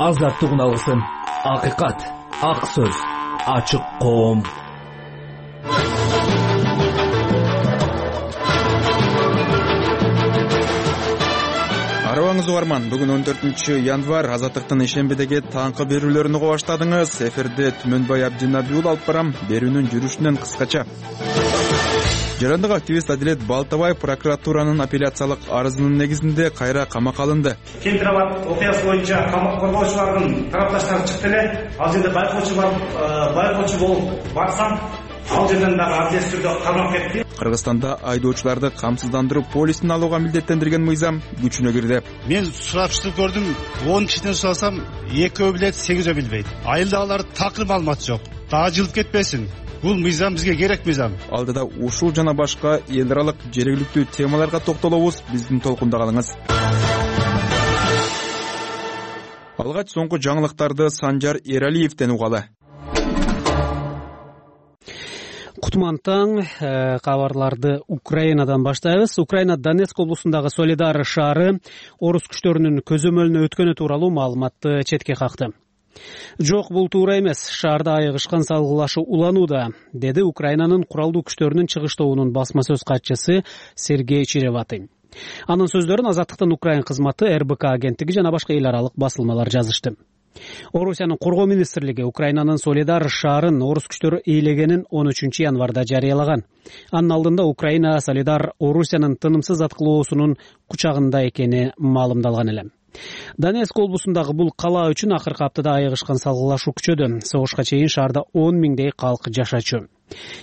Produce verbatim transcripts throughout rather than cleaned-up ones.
азаттыгын алсын. Акыйкат, ак сөз, ачык коом. Арабаңыз угарман. Бүгүн он төртүнчү январь. Азаттыктын ишембедеги таңкы берүүлөрүнү уга баштадыңыз. Эфирде Түмөнбай Абдинабиул алып барам. Берүүнүн жүрүшүнөн кыскача. Жарандык активист Адилет Балтабаев прокуратуранын апелляциялык арызынын негизинде кайра камакка алынды. Кентирабад окуясы боюнча камак коргоочулардын тарапташтары чыкты эле. Ал жерде байкоочу бар, байкоочу болуп барсам, ал жерден дагы абдес түрдө камап кетти. Кыргызстанда айдоочуларды камсыздандыруу полисин алууга милдеттендирген мыйзам күчүнө кирди. Мен сурапчылык көрдүм, он кишиден сурасам, экөө билет, сегизөө билбейт. Айылдагылар такыр маалымат жок. Дагы жылып кетпесин. Бул мыйзам бизге керек мыйзам. Алдыда ушул жана башка эл аралык жергиликтүү темаларга токтолобуз. Биздин толкунда калыңыз. Алгач соңку жаңылыктарды Санжар Эралиевден угалы. Кутман таң, кабарларды Украинадан баштайбыз. Украина Донецк облусундагы Солидар шаары орус күчтөрүнүн көзөмөлүнө өткөнү тууралуу маалыматты четке какты. Жок, бул туура эмес. Шаарда айыгышкан салгылашуу уланууда, деди Украинанын куралдуу күчтөрүнүн чыгыш тобунун басма сөз катчысы Сергей Череватый. Анын сөздөрүн Азаттыктын Украин кызматы, эр бэ ка агенттиги жана башка эл аралык басылмалар жазышты. Орусиянын коргоо министрлиги Украинанын Солидар шаарын орус күчтөрү ээлегенин он үчүнчү январда жарыялаган. Анын алдында Украина Солидар Орусиянын тынымсыз аткылоосунун кучагында экени маалымдалган эле. Донецк облусундагы бул кала үчүн акыркы аптада айыгышкан салгылашуу күчөдү. Согушка чейин шаарда он миңдей калк жашачу.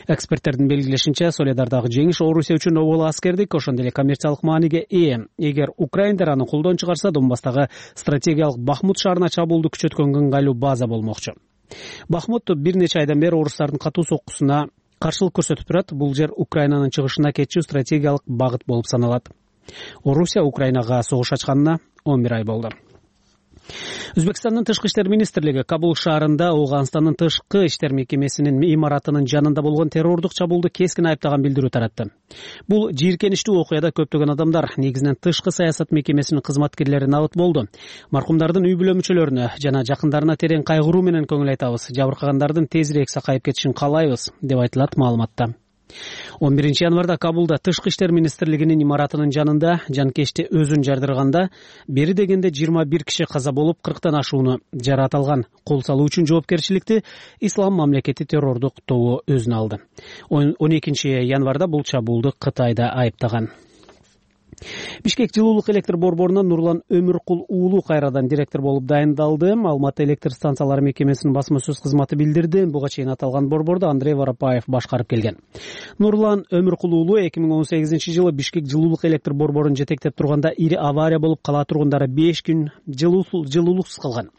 Эксперттердин белгилешинче, Солидардагы жеңиш Орусия үчүн обол аскердик, ошондой эле коммерциялык мааниге ээ. Эгер украиндер аны колдон чыгарса, Донбасстагы стратегиялык Бахмут шаарына чабуулду күчөткөн ыңгайлуу база болмокчу. Бахмут бир нече айдан бери орустардын катуу соккусуна каршылык көрсөтүп турат. Бул жер Украинанын чыгышына кетчү стратегиялык багыт болуп саналат. Орусия Украинага согуш ачканына он бир ай болду. Өзбекстандын тышкы иштер министрлиги Кабул шаарында Ооганстандын тышкы иштер мекемесинин имаратынын жанында болгон террордук чабуулду кескин айыптаган билдирүү таратты. Бул жийиркеничтүү окуяда көптөгөн адамдар, негизинен тышкы саясат мекемесинин кызматкерлери набыт болду. Маркумдардын үй бүлө мүчөлөрүнө жана жакындарына терең кайгыруу менен көңүл айтабыз. Жабыркагандардын тезирээк сакайып кетишин каалайбыз, деп айтылат маалыматта. он биринчи январда Кабулда тышкы иштер министрлигинин имаратынын жанында жанкечти өзүн жардырганда бери дегенде жыйырма бир киши каза болуп, кырктан ашууну жараталган. Кол салуу үчүн жоопкерчиликти Ислам мамлекети террордук тобу өзүнө алды. он экинчи январда бул чабуулду Кытайда айыптаган. Бишкек жылуулук электр борборунан Нурлан Өмүркул уулу кайрадан директор болуп дайындалды. Алматы электр станциялары мекемесинин басма сөз кызматы билдирди. Буга чейин аталган борборду Андрей Воропаев башкарып келген. Нурлан Өмүркул уулу эки миң он сегизинчи жылы Бишкек жылуулук электр борборун жетектеп турганда ири авария болуп, кала тургундары беш күн жылуулуксуз калган.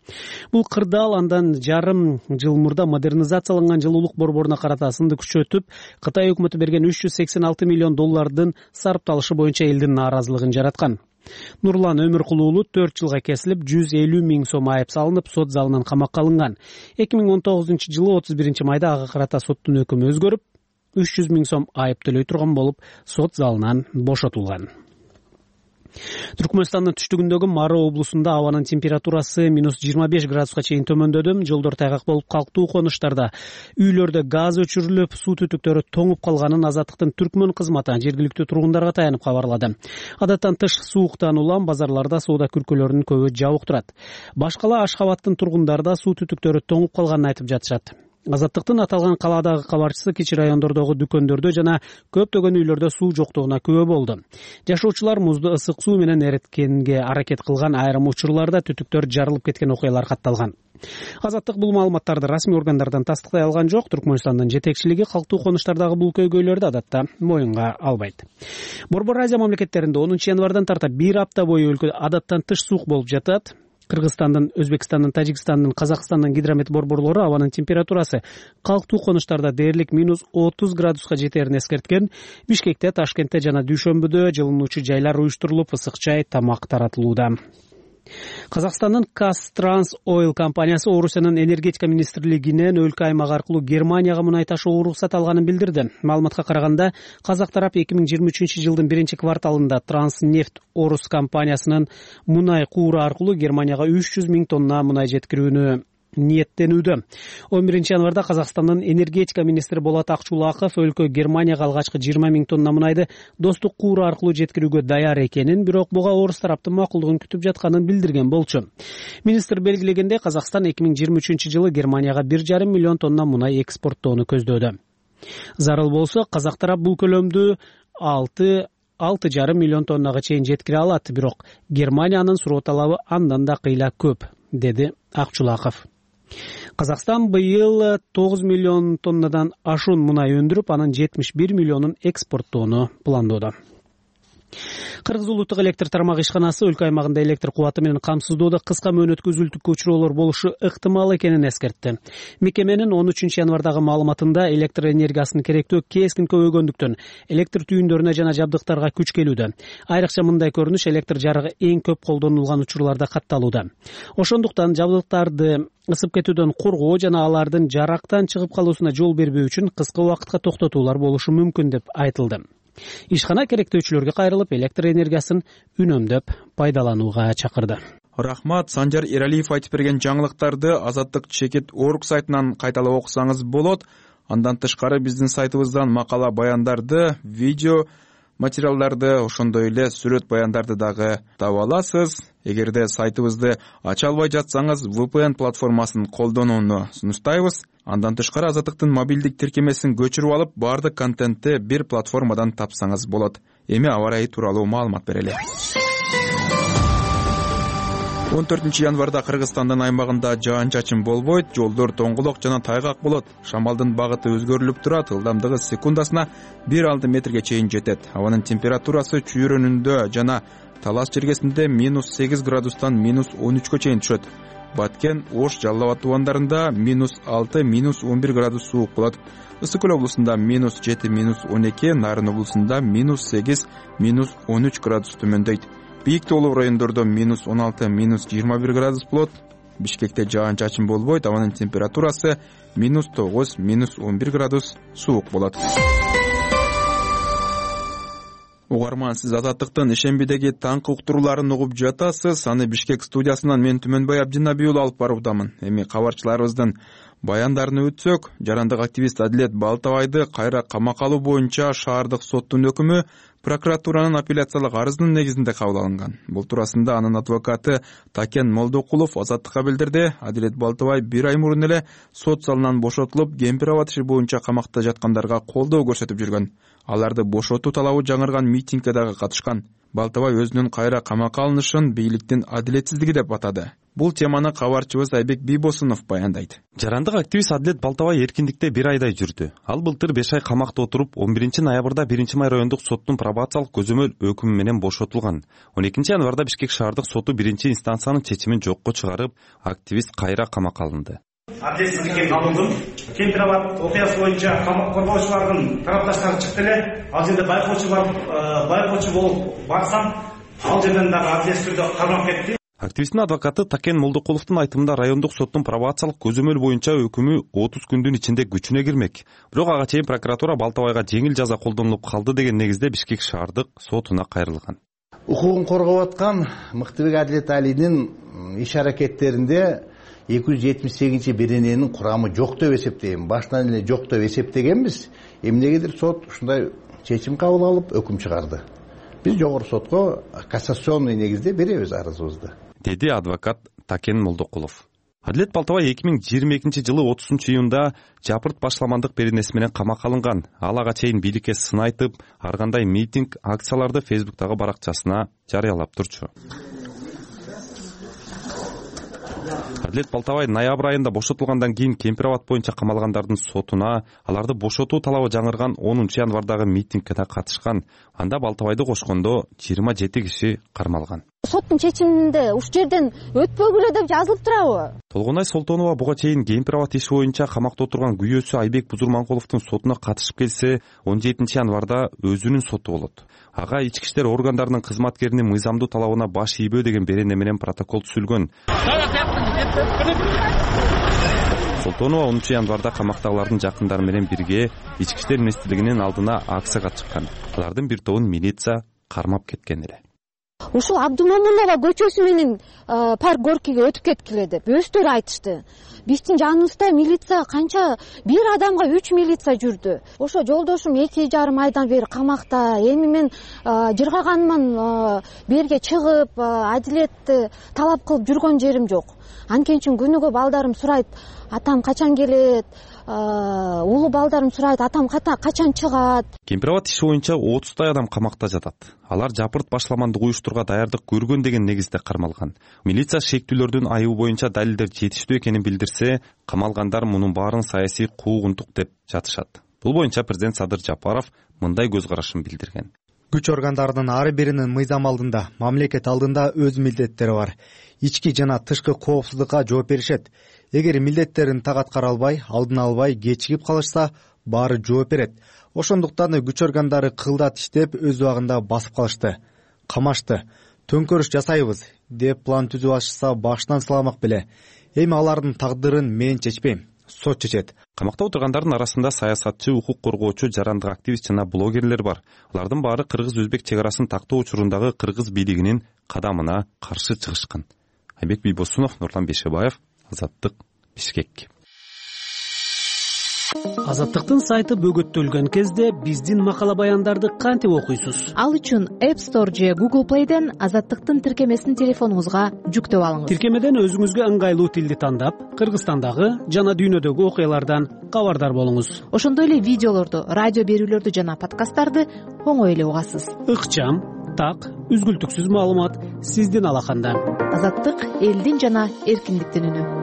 Бул кырдаал андан жарым жыл мурда модернизацияланган жылуулук борборуна карата сынды күчөтүп, Кытай өкмөтү берген үч жүз сексен алты миллион доллардын сарпталышы боюнча элдин наразылыгын жараткан. Нурлан Өмүркул уулу төрт жылга кесилип, жүз элүү миң сом айып салынып, сот залынан камакка алынган. эки миң он тогузунчу жылы отуз биринчи майда ага карата соттун өкүмү өзгөрүп, үч жүз миң сом айып төлөй турган болуп, сот залынан бошотулган. Түркмөнстандын түштүгүндөгү Мары облусунда абанын температурасы минус жыйырма беш градуска чейин төмөндөдү. Жолдор тайгак болуп, калктуу конуштарда, үйлөрдө газ өчүрүлүп, суу түтүктөрү тоңуп калганын Азаттыктын Түркмөн кызматы жергиликтүү тургундарга таянып кабарлады. Адаттан тыш сууктан улам базарларда соода күркөлөрүнүн көбү жабык турат. Башкала Ашхабадтын тургундары да суу түтүктөрү тоңуп калганын айтып жатышат. Азаттыктын аталган калаадагы кабарчысы кичи райондордогу дүкөндөрдө жана көптөгөн үйлөрдө суу жоктугуна күбө болду. Жашоочулар музду ысык суу менен эриткенге аракет кылган, айрым учурларда түтүктөр жарылып кеткен окуялар катталган. Азаттык бул маалыматтарды расмий органдардан тастыктай алган жок. Түркмөнстандын жетекчилиги калктуу конуштардагы бул көйгөйлөрдү адатта моюнга албайт. Борбор Азия мамлекеттеринде онунчу январдан тарта бир апта бою өлкөдө адаттан тыш суук болуп жатат. Кыргызстандын, Өзбекстандын, Тажикстандын, Казакстандын гидромет борборлору абанын температурасы калктуу конуштарда дээрлик минус отуз градуска жетерин эскерткен. Бишкекте, Ташкентте жана Дүйшөмбүдө жылынуучу жайлар уюштурулуп, ысык чай, тамак таратылууда. Казакстандын Казтранс Ойл компаниясы Орусиянын энергетика министрлигинен өлкө аймак аркылуу Германияга мунай ташууга уруксат алганын билдирди. Маалыматка караганда, казак тарап эки миң жыйырма үчүнчү жылдын биринчи кварталында Транснефть Орус компаниясынын мунай кууру аркылуу Германияга үч жүз миң тонна мунай жеткирүүнү ниеттенүүдө. он биринчи январда Казакстандын энергетика министри Болот Акчулаков өлкө Германияга алгачкы жыйырма миң тонна мунайды достук кууру аркылуу жеткирүүгө даяр экенин, бирок буга орус тараптын макулдугун күтүп жатканын билдирген болчу. Министр белгилегендей, Казакстан эки миң жыйырма үчүнчү жылы Германияга бир жарым миллион тонна мунай экспорттоону көздөөдө. Зарыл болсо, казак тарап бул көлөмдү алты алты жарым миллион тоннага чейин жеткире алат, бирок Германиянын суроо талабы андан да кыйла көп, деди Акчулаков. Казакстан быйыл тогуз миллион тоннадан ашуун мунай өндүрүп, анын жетимиш бир миллионун экспорттоону пландоодо. Кыргыз улуттук электр тармагы ишканасы өлкө аймагында электр кубаты менен камсыздоодо кыска мөөнөткө үзүлтүккө учуроолор болушу ыктымал экенин эскертти. Мекеменин он үчүнчү январдагы маалыматында электр энергиясынын керектөө кескин көбөйгөндүктөн электр түйүндөрүнө жана жабдыктарга күч келүүдө. Айрыкча мындай көрүнүш электр жарыгы эң көп колдонулган учурларда катталууда. Ошондуктан жабдыктарды ысып кетүүдөн коргоо жана алардын жарактан чыгып калуусуна жол бербөө үчүн кыска убакытка токтотуулар болушу мүмкүн деп айтылды. Ишкана керектөөчүлөргө кайрылып, электр энергиясын үнөмдөп пайдаланууга чакырды. Рахмат, Санжар Эралиев айтып берген жаңылыктарды Азаттык чекит орг сайтынан кайталап окусаңыз болот. Андан тышкары биздин сайтыбыздан макала баяндарды, видео материалдарды, ошондой эле сүрөт баяндарды дагы таба аласыз. Эгерде сайтыбызды ача албай жатсаңыз, ви пи эн платформасын колдонууну сунуштайбыз. Андан тышкары Азаттыктын мобилдик тиркемесин көчүрүп алып, бардык контентти бир платформадан тапсаңыз болот. Эми аба ырайы тууралуу маалымат берели. он төртүнчү январда Кыргызстандын аймагында жаан-чачын болбойт, жолдор тоңголок жана тайгак болот. Шамалдын багыты өзгөрүлүп турат, ылдамдыгы секундасына бир алты метрге чейин жетет. Абанын температурасы чүйрөнүндө жана Талас чергесинде минус сегиз градустан минус он үчкө чейин түшөт. Баткен, Ош, Жалал Абад тубандарында минус алты, минус он бир градус суук болот. Ысык Көл облусунда минус жети, минус он эки, Нарын облусунда минус сегиз, минус он үч градус төмөндөйт. Бийик тоолуу райондордо минус он алты, минус жыйырма бир градус болот. Бишкекте жаан-чачын болбойт, абанын температурасы минус тогуз, минус он бир градус суук болот. Угарман, сиз Азаттыктын ишембидеги таңкы уктурууларын угуп жатасыз. Аны Бишкек студиясынан мен Түмөнбай Абдинабиул алып баруудамын. Эми кабарчыларыбыздын баяндарын өтсөк, жарандык активист Адилет Балтабайды кайра камакка алуу боюнча шаардык соттун өкүмү прокуратуранын апелляциялык арызынын негизинде кабыл алынган. Бул туурасында анын адвокаты Такен Молдокулов Азаттыкка билдирди. Адилет Балтабай бир ай мурун эле сот залынан бошотулуп, Кемпир абад иши боюнча камакта жаткандарга колдоо көрсөтүп жүргөн. Аларды бошотуу талабы жаңырган митингге дагы катышкан. Балтабай өзүнүн кайра камакка алынышын бийликтин адилетсиздиги деп атады. Бул теманы кабарчыбыз Айбек Бийбосунов баяндайт. Жарандык активист Адилет Балтабай эркиндикте бир айдай жүрдү. Ал былтыр беш ай камакта отуруп, он биринчи ноябрда биринчи май райондук соттун пробациялык көзөмөл өкүмү менен бошотулган. он экинчи январда Бишкек шаардык соту биринчи инстанциянын чечимин жокко чыгарып, активист кайра камакка алынды. Адилетсиздикке алындым. Кемпир абад окуясы боюнча камак коргоочулардын тарапташтары чыкты эле. Ал жерде байкоочу бар, байкоочу болуп барсам, ал жерден дагы адилетсиз түрдө кармап кетти. Активисттин адвокаты Такен Молдокуловдун айтымында райондук соттун пробациялык көзөмөл боюнча өкүмү отуз күндүн ичинде күчүнө кирмек. Бирок ага чейин прокуратура Балтабайга жеңил жаза колдонулуп калды деген негизде Бишкек шаардык сотуна кайрылган. Укугун коргоп аткан Мыктыбек Адилет Алинин иш аракеттеринде эки жүз жетимиш сегизинчи берененин курамы жок деп эсептейм. Башынан эле жок деп эсептегенбиз. Эмнегедир сот ушундай чечим кабыл алып өкүм чыгарды. Биз жогору сотко кассационный негизде беребиз арызыбызды, деди адвокат Такен Молдокулов. Адилет Балтабай эки миң жыйырма экинчи жылы отузунчу июнда жапырт башламандык беренеси менен камакка алынган. Ал ага чейин бийликке сын айтып, ар кандай митинг, акцияларды Фейсбуктагы баракчасына жарыялап турчу. Адилет Балтабай ноябрь айында бошотулгандан кийин Кемпир абад боюнча камалгандардын сотуна, аларды бошотуу талабы жаңырган онунчу январдагы митингке да катышкан. Анда Балтабайды кошкондо жыйырма жети киши кармалган. Соттун чечиминде уш жерден өтпөгүлө деп жазылып турабы? Толгонай Солтонова буга чейин Кемпир абад иши боюнча камакта отурган күйөөсү Айбек Бузурманкуловдун сотуна катышып келсе, он жетинчи январда өзүнүн соту болот. ага ички иштер органдарынын кызматкеринин мыйзамдуу талабына баш ийбөө деген берене менен протокол түзүлгөн. Солтонова онунчу январда камактагылардын жакындары менен бирге ички иштер министрлигинин алдына акцияга чыккан. Алардын бир тобун милиция кармап кеткен эле. Ушул Абдумамунова көчөсү менен парк горкиге өтүп кеткиле деп өздөрү айтышты. Биздин жаныбызда милиция канча, бир адамга үч милиция жүрдү. Ошо жолдошум эки жарым айдан бери камакта. Эми мен жыргаганман берге чыгып, адилетти талап кылып жүргөн жерим жок. Анткени үчүн күнүгө балдарым сурайт, атам качан келет, улуу балдарым сурайт, атам качан чыгат. Кемпирабад иши боюнча отуздай адам камакта жатат. Алар жапырт башламандык уюштурууга даярдык көргөн деген негизде кармалган. Милиция шектүүлөрдүн айыбы боюнча далилдер жетиштүү экенин билдирсе, камалгандар мунун баарын саясий куугунтук деп жатышат. Бул боюнча президент Садыр Жапаров мындай көз карашын билдирген. Күч органдарынын ар биринин мыйзам алдында, мамлекет алдында өз милдеттери бар. Ички жана тышкы коопсуздукка жооп беришет. Эгер милдеттерин так аткара албай, алдын албай, кечигип калышса, баары жооп берет. Ошондуктан күч органдары кылдат иштеп, өз убагында басып калышты, камашты. Төңкөрүш жасайбыз деп план түзүп алышса, башынан сыламак беле. Эми алардын тагдырын мен чечпейм, сот чечет. Камакта отургандардын арасында саясатчы, укук коргоочу, жарандык активист жана блогерлер бар. Алардын баары кыргыз-өзбек чек арасын тактоо учурундагы кыргыз бийлигинин кадамына каршы чыгышкан. Айбек Бийбосунов, Нурлан Бейшебаев, Азаттык, Бишкек. Азаттыктын сайты бөгөттөлгөн кезде биздин макала баяндарды кантип окуйсуз? Ал үчүн App Store же Google Play'ден Азаттыктын тиркемесин телефонуңузга жүктөп алыңыз. Тиркемеден өзүңүзгө ыңгайлуу тилди тандап, Кыргызстандагы жана дүйнөдөгү окуялардан кабардар болуңуз. Ошондой эле видеолорду, радио берүүлөрдү жана подкасттарды оңой эле угасыз. Ыкчам, так, үзгүлтүксүз маалымат сиздин алаканда. Азаттык элдин жана эркиндиктин үнү.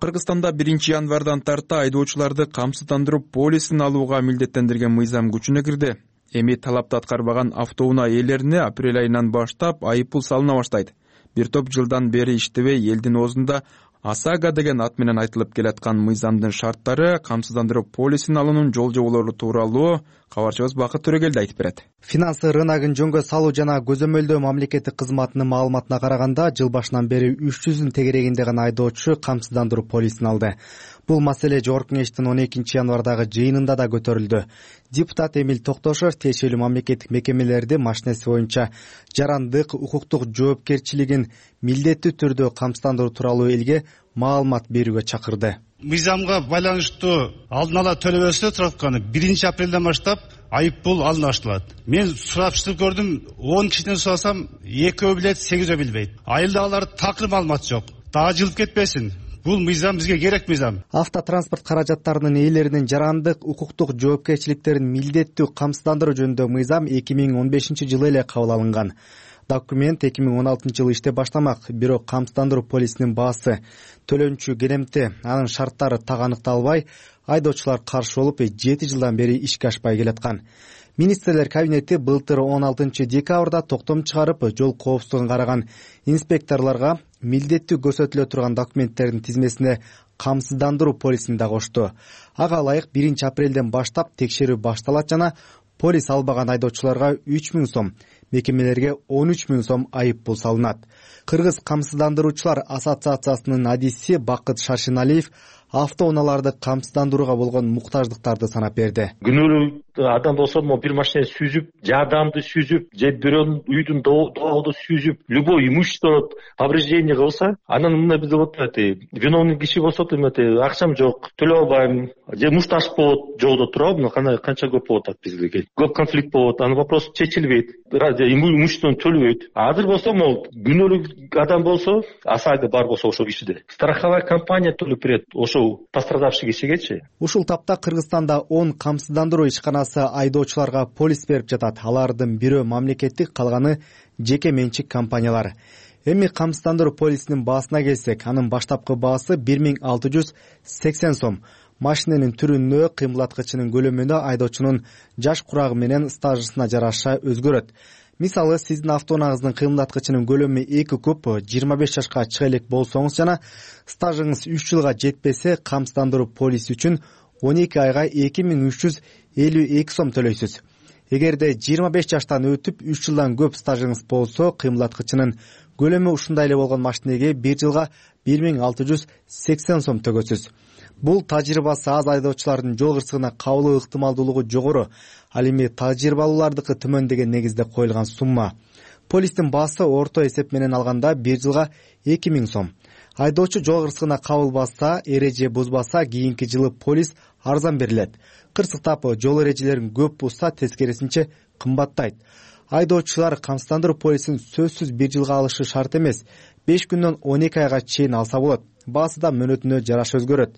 Кыргызстанда биринчи январдан тарта айдоочуларды камсыздандыруу полисин алууга милдеттендирген мыйзам күчүнө кирди. Эми талапты аткарбаган автоунаа ээлерине апрель айынан баштап айыппул салына баштайт. Бир топ жылдан бери иштебей элдин оозунда ОСАГО деген ат менен айтылып келаткан мыйзамдын шарттары, камсыздандыруу полисин алуунун жол жоболору тууралуу кабарчыбыз Бакыт Төрөгелди айтып берет. Финансы рыногун жөнгө салуу жана көзөмөлдөө мамлекеттик кызматынын маалыматына караганда, жыл башынан бери үч жүздүн тегерегинде гана айдоочу камсыздандыруу полисин алды. Бул маселе Жогорку Кеңештин он экинчи январдагы жыйынында да көтөрүлдү. Депутат Эмил Токтошов тиешелүү мамлекеттик мекемелерди машинеси боюнча жарандык, укуктук жоопкерчилигин милдеттүү түрдө камсыздандыруу тууралуу элге маалымат берүүгө чакырды. Мыйзамга байланыштуу алдын ала төлөбөсө трапканы биринчи апрелден баштап айыппул алына башталат. Мен сурапчылык көрдүм, он кишиден сурасам экөө билет, сегизөө билбейт. Айылда алар такыр маалымат жок. Дагы жылып кетпесин. Бул мыйзам бизге керек мыйзам. Автотранспорт каражаттарынын ээлеринин жарандык, укуктук жоопкерчиликтерин милдеттүү камсыздандыруу жөнүндө мыйзам эки миң он бешинчи жылы эле кабыл алынган. Документ эки миң он алтынчы жылы иштеп баштамак, бирок камсыздандыруу полисинин баасы, төлөнчү келемти, анын шарттары так аныкталбай, айдоочулар каршы болуп, жети жылдан бери ишке ашпай келаткан. Министрлер кабинети былтыр он алтынчы декабрда токтом чыгарып, жол коопсуздугун караган инспекторлорго милдеттүү көрсөтүлө турган документтердин тизмесине камсыздандыруу полисин да кошту. Ага ылайык биринчи апрелден баштап текшерүү башталат жана полис албаган айдоочуларга үч миң сом, мекемелерге он үч миң сом айыппул салынат. Кыргыз камсыздандыруучулар ассоциациясынын адиси Бакыт Шаршиналиев автоунааларды камсыздандырууга болгон муктаждыктарды санап берди. Күнөөлүү адам болсо, могу бир машинени сүзүп, жардамды сүзүп, же бирөөнүн үйдүн доогду сүзүп, любой имущество повреждение кылса, анан мындай бизде болот эти виновный киши болсо, эмети акчам жок, төлөй албайм, же мушташ болот, жолдо туруп, мына кандай канча көп болот бизге. Көп конфликт болот, анын вопрос чечилбейт, имуществону төлөбөйт. Азыр болсо, могу күнөөлүү адам болсо, ОСАГО бар болсо ошол кишиде страховая компания төлөп берет, ошо пострадавший кишигечи. Ушул тапта Кыргызстанда он камсыздандыруу ишканасы айдоочуларга полис берип жатат. Алардын бирөө мамлекеттик, калганы жеке менчик компаниялар. Эми камсыздандыруу полисинин баасына келсек, анын баштапкы баасы бир миң алты жүз сексен сом. Машиненин түрүнө, кыймылдаткычынын көлөмүнө, айдоочунун жаш курагы менен стажысына жараша өзгөрөт. Мисалы, сиздин автоунааңыздын кыймылдаткычынын көлөмү эки куб жыйырма беш жашка чыга элек болсоңуз жана стажыңыз үч жылга жетпесе, камсыздандыруу полиси үчүн он эки айга эки миң үч жүз элүү эки сом төлөйсүз. Эгерде жыйырма беш жаштан өтүп үч жылдан көп стажыңыз болсо, кыймылдаткычынын көлөмү ушундай эле болгон машинеге бир жылга бир миң алты жүз сексен сом төгөсүз. Бул тажрыйбасы аз айдоочулардын жол кырсыгына кабылуу ыктымалдуулугу жогору, ал эми тажрыйбалуулардыкы төмөн деген негизде коюлган сумма. Полистин баасы орто эсеп менен алганда бир жылга эки миң сом. Айдоочу жол кырсыгына кабылбаса, эреже бузбаса, кийинки жылы полис арзан берилет. Кырсыктап жол эрежелерин көп бузса, тескерисинче кымбаттайт. Айдоочулар камсыздандыруу полисин сөзсүз бир жылга алышы шарт эмес, беш күндөн он эки айга чейин алса болот. Баасы да мөөнөтүнө жараша өзгөрөт.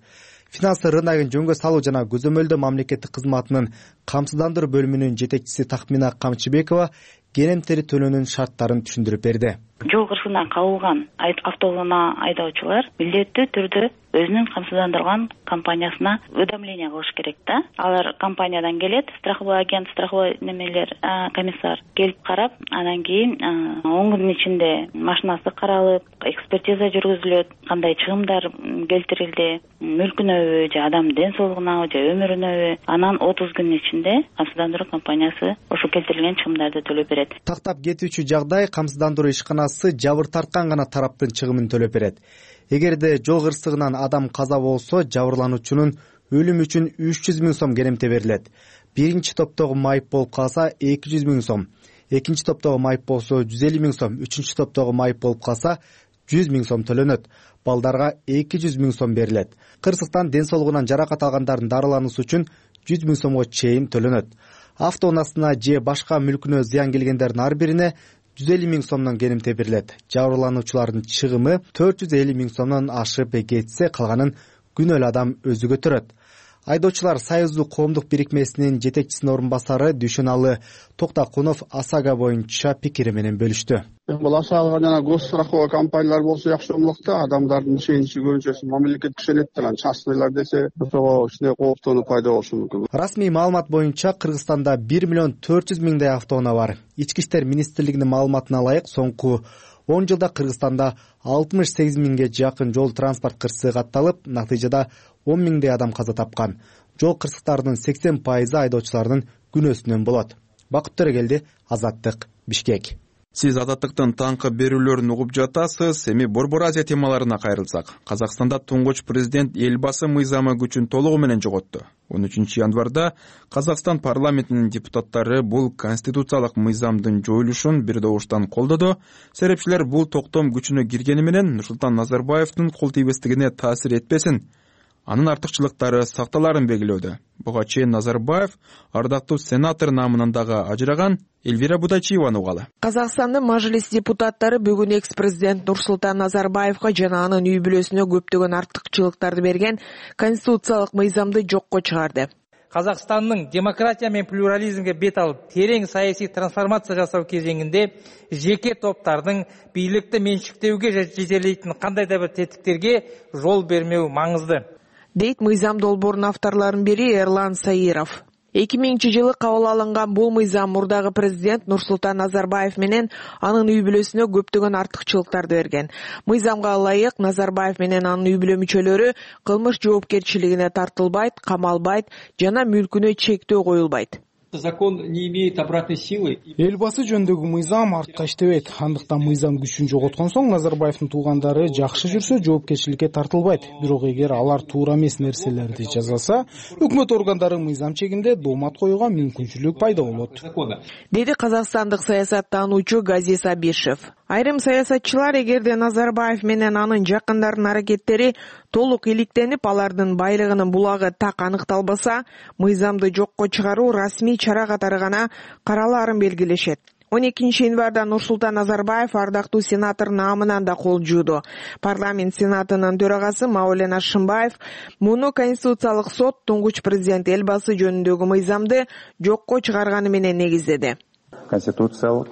Финансы рыногун жөнгө салуу жана көзөмөлдөө мамлекеттик кызматынын камсыздандыруу бөлүмүнүн жетекчиси Тахмина Камчыбекова керемтери төлөөнүн шарттарын түшүндүрүп берди. Жол кырсыгына кабылган автоунаа айдоочулар милдеттүү түрдө өзүнүн камсыздандырган компаниясына уведомление кылыш керек да. Алар компаниядан келет, страховой агент, страховой немелер, комиссар келип карап, анан кийин он күндүн ичинде машинасы каралып, экспертиза жүргүзүлөт, кандай чыгымдар келтирилди, мүлкүнөбү же адамдын ден соолугунабы же өмүрүнөбү, анан отуз күндүн ичинде камсыздандыруу компаниясы ошо келтирилген чыгымдарды төлөп берет. Тактап кетүүчү жагдай камсыздандыруу ишканасы жабыр тарткан гана тараптын чыгымын төлөп берет. Эгерде жол кырсыгынан адам каза болсо, жабырлануучунун өлүм үчүн үч жүз миң сом керемте берилет. Биринчи топтогу майып болуп калса эки жүз миң сом, экинчи топтогу майып болсо жүз элүү миң сом, үчүнчү топтогу майып болуп калса жүз миң сом төлөнөт. Балдарга эки жүз миң сом берилет. Кырсыктан ден соолугунан жаракат алгандардын дарылануусу үчүн жүз миң сомго чейин төлөнөт. Автоунаасына же башка мүлкүнө зыян келгендердин ар бирине жүз элүү миң сомдон керемте берилет. Жабырлануучулардын чыгымы төрт жүз элүү миң сомдон ашып кетсе, калганын күнөөлүү адам өзү көтөрөт. Айдоочулар союздук коомдук бирикмесинин жетекчисинин орун басары Дүйшөналы Токтакунов АСАГа боюнча пикири менен бөлүштү. Бул АСАГа жана госстраховой компаниялар болсо жакшы болмок да, адамдардын ишеничи көбүнчөсү мамлекет ишенет да, частныйлар десе ошого кичине кооптонуу пайда болушу мүмкүн. Расмий маалымат боюнча Кыргызстанда бир миллион төрт жүз миңдей автоунаа бар. Ички иштер министрлигинин маалыматына ылайык, соңку он жылда Кыргызстанда алтымыш сегиз миңге жакын жол транспорт кырсыгы катталып, натыйжада он миңдей адам каза тапкан. Жол кырсыктарынын сексен пайызы айдоочулардын күнөөсүнөн болот. Бакыт Төрөгелди, Азаттык, Бишкек. Сиз Азаттыктын таңкы берүүлөрүн угуп жатасыз. Эми Борбор Азия темаларына кайрылсак. Казакстанда туңгуч президент Элбасы мыйзамы күчүн толугу менен жоготту. он үчүнчү январда Казакстан парламентинин депутаттары бул конституциялык мыйзамдын жоюлушун бир добуштан колдоду. Серепчилер бул токтом күчүнө киргени менен Нурсултан Назарбаевдин кол тийбестигине таасир этпесин, анын артыкчылыктары сакталарын белгилөөдө. Буга чейин Назарбаев ардактуу сенатор намынан дагы ажыраган. Эльвира Будачиеваны угалы. Казакстандын мажлис депутаттары бүгүн экс-президент Нурсултан Назарбаевга жана анын үй бүлөсүнө көптөгөн артыкчылыктарды берген конституциялык мыйзамды жокко чыгарды. Казакстандын демократия менен плюрализмге бет алып, терең саясий трансформация жасоо кезеңинде жеке топтардын бийликти менчиктөөгө жетелейтин кандай да бир тетиктерге жол бермөө маңызды, дейт мыйзам долбоорунун авторлорунун бири Эрлан Саиров. эки миңинчи жылы кабыл алынган бул мыйзам мурдагы президент Нурсултан Назарбаев менен анын үй бүлөсүнө көптөгөн артыкчылыктарды берген. Мыйзамга ылайык Назарбаев менен анын үй бүлө мүчөлөрү кылмыш жоопкерчилигине тартылбайт, камалбайт жана мүлкүнө чектөө коюлбайт. Закон не имеет обратной силы. Элбасы жөнүндөгү мыйзам артка иштебейт. Андыктан мыйзам күчүн жоготкон соң Назарбаевдин туугандары жакшы жүрсө жоопкерчиликке тартылбайт. Бирок эгер алар туура эмес нерселерди жазаса, өкмөт органдары мыйзам чегинде доомат коюуга мүмкүнчүлүк пайда болот, деди казакстандык саясаттануучу Газиз Абишев. Айрым саясатчылар эгерде Назарбаев менен анын жакындарынын аракеттери толук иликтенип, алардын байлыгынын булагы так аныкталбаса, мыйзамды жокко чыгаруу расмий чара катары гана каралаарын белгилешет. он экинчи январда Нурсултан Назарбаев ардактуу сенатор наамынан да кол жууду. Парламент сенатынын төрагасы Маулен Ашимбаев муну Конституциялык сот туңгуч президент Элбасы жөнүндөгү мыйзамды жокко чыгарганы менен негиздеди. Конституциялык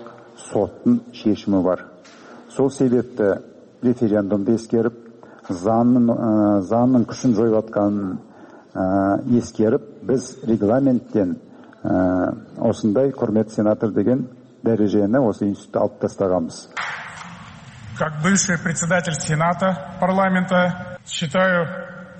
соттун шешими бар. Сол себепти референдумду эскерип, заңдын заңдын күчүн жоюп атканын эскерип, биз регламенттен осындай құрметті сенатор деген дәрежені осы институтта алып тастағанбыз. Как бывший председатель Сената парламента считаю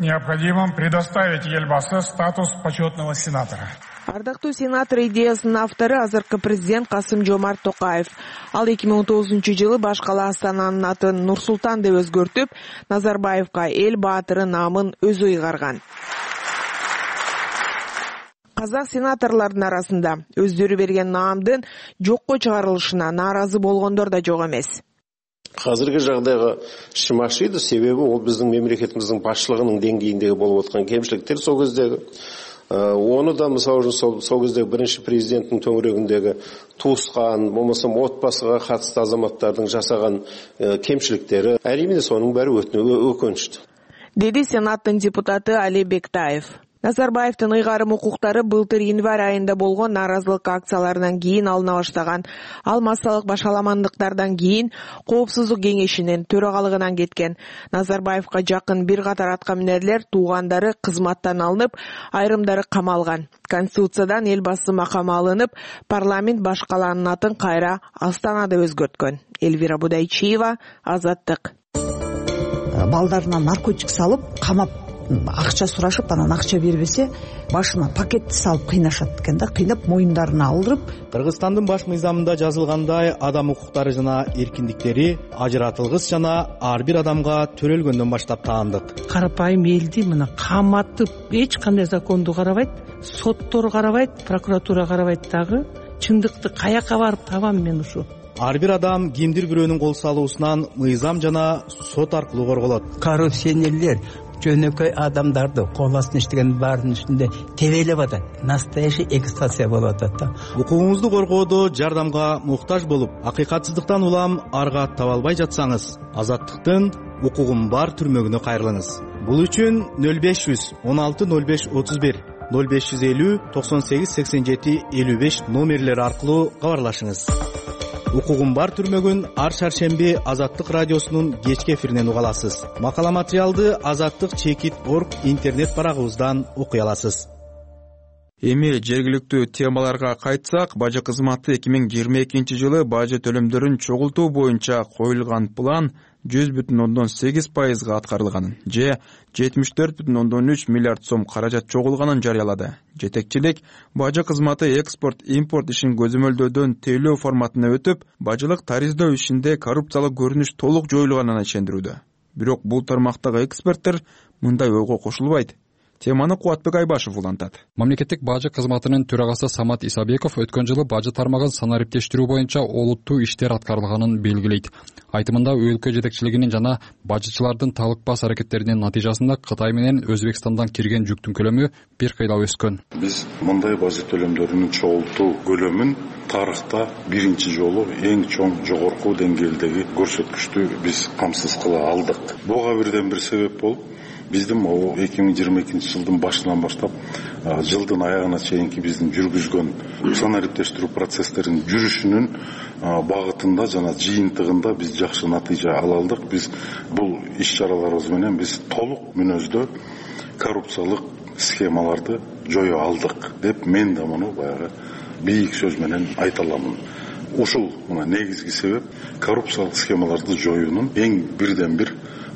необходимым предоставить Элбасы статус почетного сенатора. Ардактуу сенатор идеясынын автору азыркы президент Касым-Жомарт Токаев. Ал эки миң он тогузунчу жылы баш кала Астананын атын Нур-Султан деп өзгөртүп, Назарбаевка эл баатыры наамын өзү ыйгарган. Казак сенаторлордун арасында өздөрү берген наамдын жокко чыгарылышына нааразы болгондор да жок эмес. Азыркы жагдайга ишим ашыйды, себеби ол биздин мемлекетибиздин башчылыгынын деңгейиндеги болуп аткан кемчиликтер сол кездеги. Оны да мисалы үчүн сол кездеги биринчи президенттин төңүрөгүндөгү туускан, болбосо отбасыга катысты азаматтардын жасаган кемчиликтери, алимине сонун баары өкүнүчтүү, деди сенаттын депутаты Али Бектаев. Назарбаевдин ыйгарым укуктары былтыр январь айында болгон нааразылык акцияларынан кийин алына баштаган. Ал массалык башаламандыктардан кийин Коопсуздук кеңешинин төрагалыгынан кеткен. Назарбаевка жакын бир катар аткаминерлер туугандары кызматтан алынып, айрымдары камалган. Конституциядан эл башчысы макамы алынып, парламент баш каланын атын кайра Астана деп өзгөрткөн. Элвира Будайчиева, Азаттык. Балдарына наркотик салып, камап акча сурашып, анан акча бербесе, башына пакетти салып кыйнашат экен да, кыйнап моюндарына алдырып. Кыргызстандын баш мыйзамында жазылгандай, адам укуктары жана эркиндиктери ажыратылгыс жана ар бир адамга төрөлгөндөн баштап таандык. Карапайым элди мына каматып, эч кандай законду карабайт, соттор карабайт, прокуратура карабайт дагы. Чындыкты каяка барып табам мен ушу? Ар бир адам кимдир бирөөнүн кол салуусунан мыйзам жана сот аркылуу корголот. Коррупционерлер жөнөкөй адамдарды кол астына иштеген баарынын үстүндө тебелеп атат. Настоящий эксплуатация болуп атат да. Укугуңузду коргоодо жардамга муктаж болуп, акыйкатсыздыктан улам арга таба албай жатсаңыз, Азаттыктын укугум бар түрмөгүнө кайрылыңыз. Бул үчүн нөл беш жүз он алты нөл беш отуз бир, нөл беш жүз элүү токсон сегиз сексен жети элүү беш номерлери аркылуу кабарлашыңыз. Укугум бар түрмөгүн ар шаршемби Азаттык радиосунун кечки эфиринен уга аласыз. Макала материалды азаттык чекит точка орг интернет барагыбыздан окуй аласыз. Эми жергиликтүү темаларга кайтсак, бажы кызматы эки миң жыйырма экинчи жылы бажы төлөмдөрүн чогултуу боюнча коюлган план жүз бүтүн ондон сегиз пайызга аткарылганын же жетимиш төрт бүтүн ондон үч миллиард сом каражат чогулганын жарыялады. Жетекчилик бажы кызматы экспорт-импорт ишин көзөмөлдөөдөн тейлөө форматына өтүп, бажылык тариздөө ишинде коррупциялык көрүнүш толук жоюлганын ишендирүүдө. Бирок бул тармактагы эксперттер мындай ойго кошулбайт. Теманы Кубатбек Айбашев улантат. Мамлекеттик бажы кызматынын төрагасы Самат Исабеков өткөн жылы бажы тармагын санариптештирүү боюнча олуттуу иштер аткарылганын белгилейт. Айтымында өлкө жетекчилигинин жана бажычылардын талыкпас аракеттеринин натыйжасында Кытай менен Өзбекстандан кирген жүктүн көлөмү бир кыйла өскөн. Биз мындай бажы төлөмдөрүнүн чогултуу көлөмүн тарыхта биринчи жолу эң чоң жогорку деңгээлдеги көрсөткүчтү биз камсыз кыла алдык. Буга бирден бир себеп болуп, биздин эки миң жыйырма экинчи жылдын башынан баштап жылдын аягына чейинки биздин жүргүзгөн санариптештирүү процесстеринин жүрүшүнүн багытында жана жыйынтыгында биз жакшы натыйжа ала алдык. Биз бул иш-чараларыбыз менен биз толук мүнөздө коррупциялык схемаларды жое алдык деп мен да муну баягы бийик сөз менен айта аламын. Ушул мына негизги себеп коррупциялык схемаларды жоюунун эң бирден бир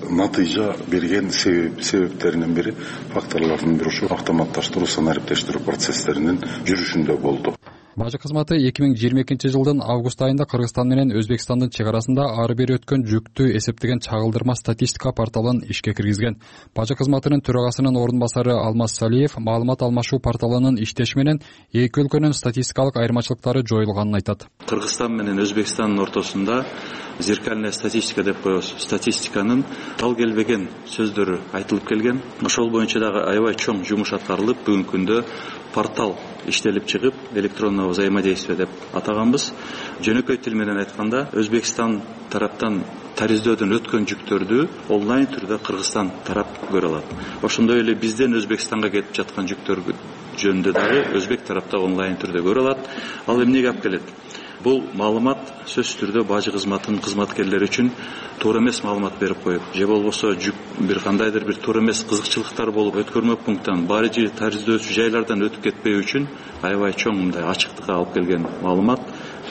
натыйжа берген себептеринин бири, факторлордун бири ушу автоматташтыруу, санариптештирүү процесстеринин жүрүшүндө болду. Бажы кызматы эки миң жыйырма экинчи жылдын август айында Кыргызстан менен Өзбекстандын чек арасында ары бери өткөн жүктү эсептеген чагылдырма статистика порталын ишке киргизген. Бажы кызматынын төрагасынын орун басары Алмаз Салиев маалымат алмашуу порталынын иштеши менен эки өлкөнүн статистикалык айырмачылыктары жоюлганын айтат. Кыргызстан менен Өзбекстандын ортосунда зеркальная статистика деп коебуз. Статистиканын ал келбеген сөздөрү айтылып келген. Ошол боюнча дагы аябай чоң жумуш аткарылып, бүгүнкү күндө портал иштелип чыгып, электронный взаимодействие деп атаганбыз. Жөнөкөй тил менен айтканда, Өзбекстан тараптан тариздөөдөн өткөн жүктөрдү онлайн түрдө Кыргызстан тарап көрө алат. Ошондой эле бизден Өзбекстанга кетип жаткан жүктөр жөнүндө дагы Өзбек тарапта онлайн түрдө көрө алат. Ал эмнеге алып келет? Бул маалымат сөзсүз түрдө бажы кызматынын кызматкерлери үчүн туура эмес маалымат берип коюп, же болбосо жүк бир кандайдыр бир туура эмес кызыкчылыктар болуп, өткөрмө пункттан, бажы тариздөөчү жайлардан өтүп кетпөө үчүн аябай чоң мындай ачыктыкка алып келген маалымат.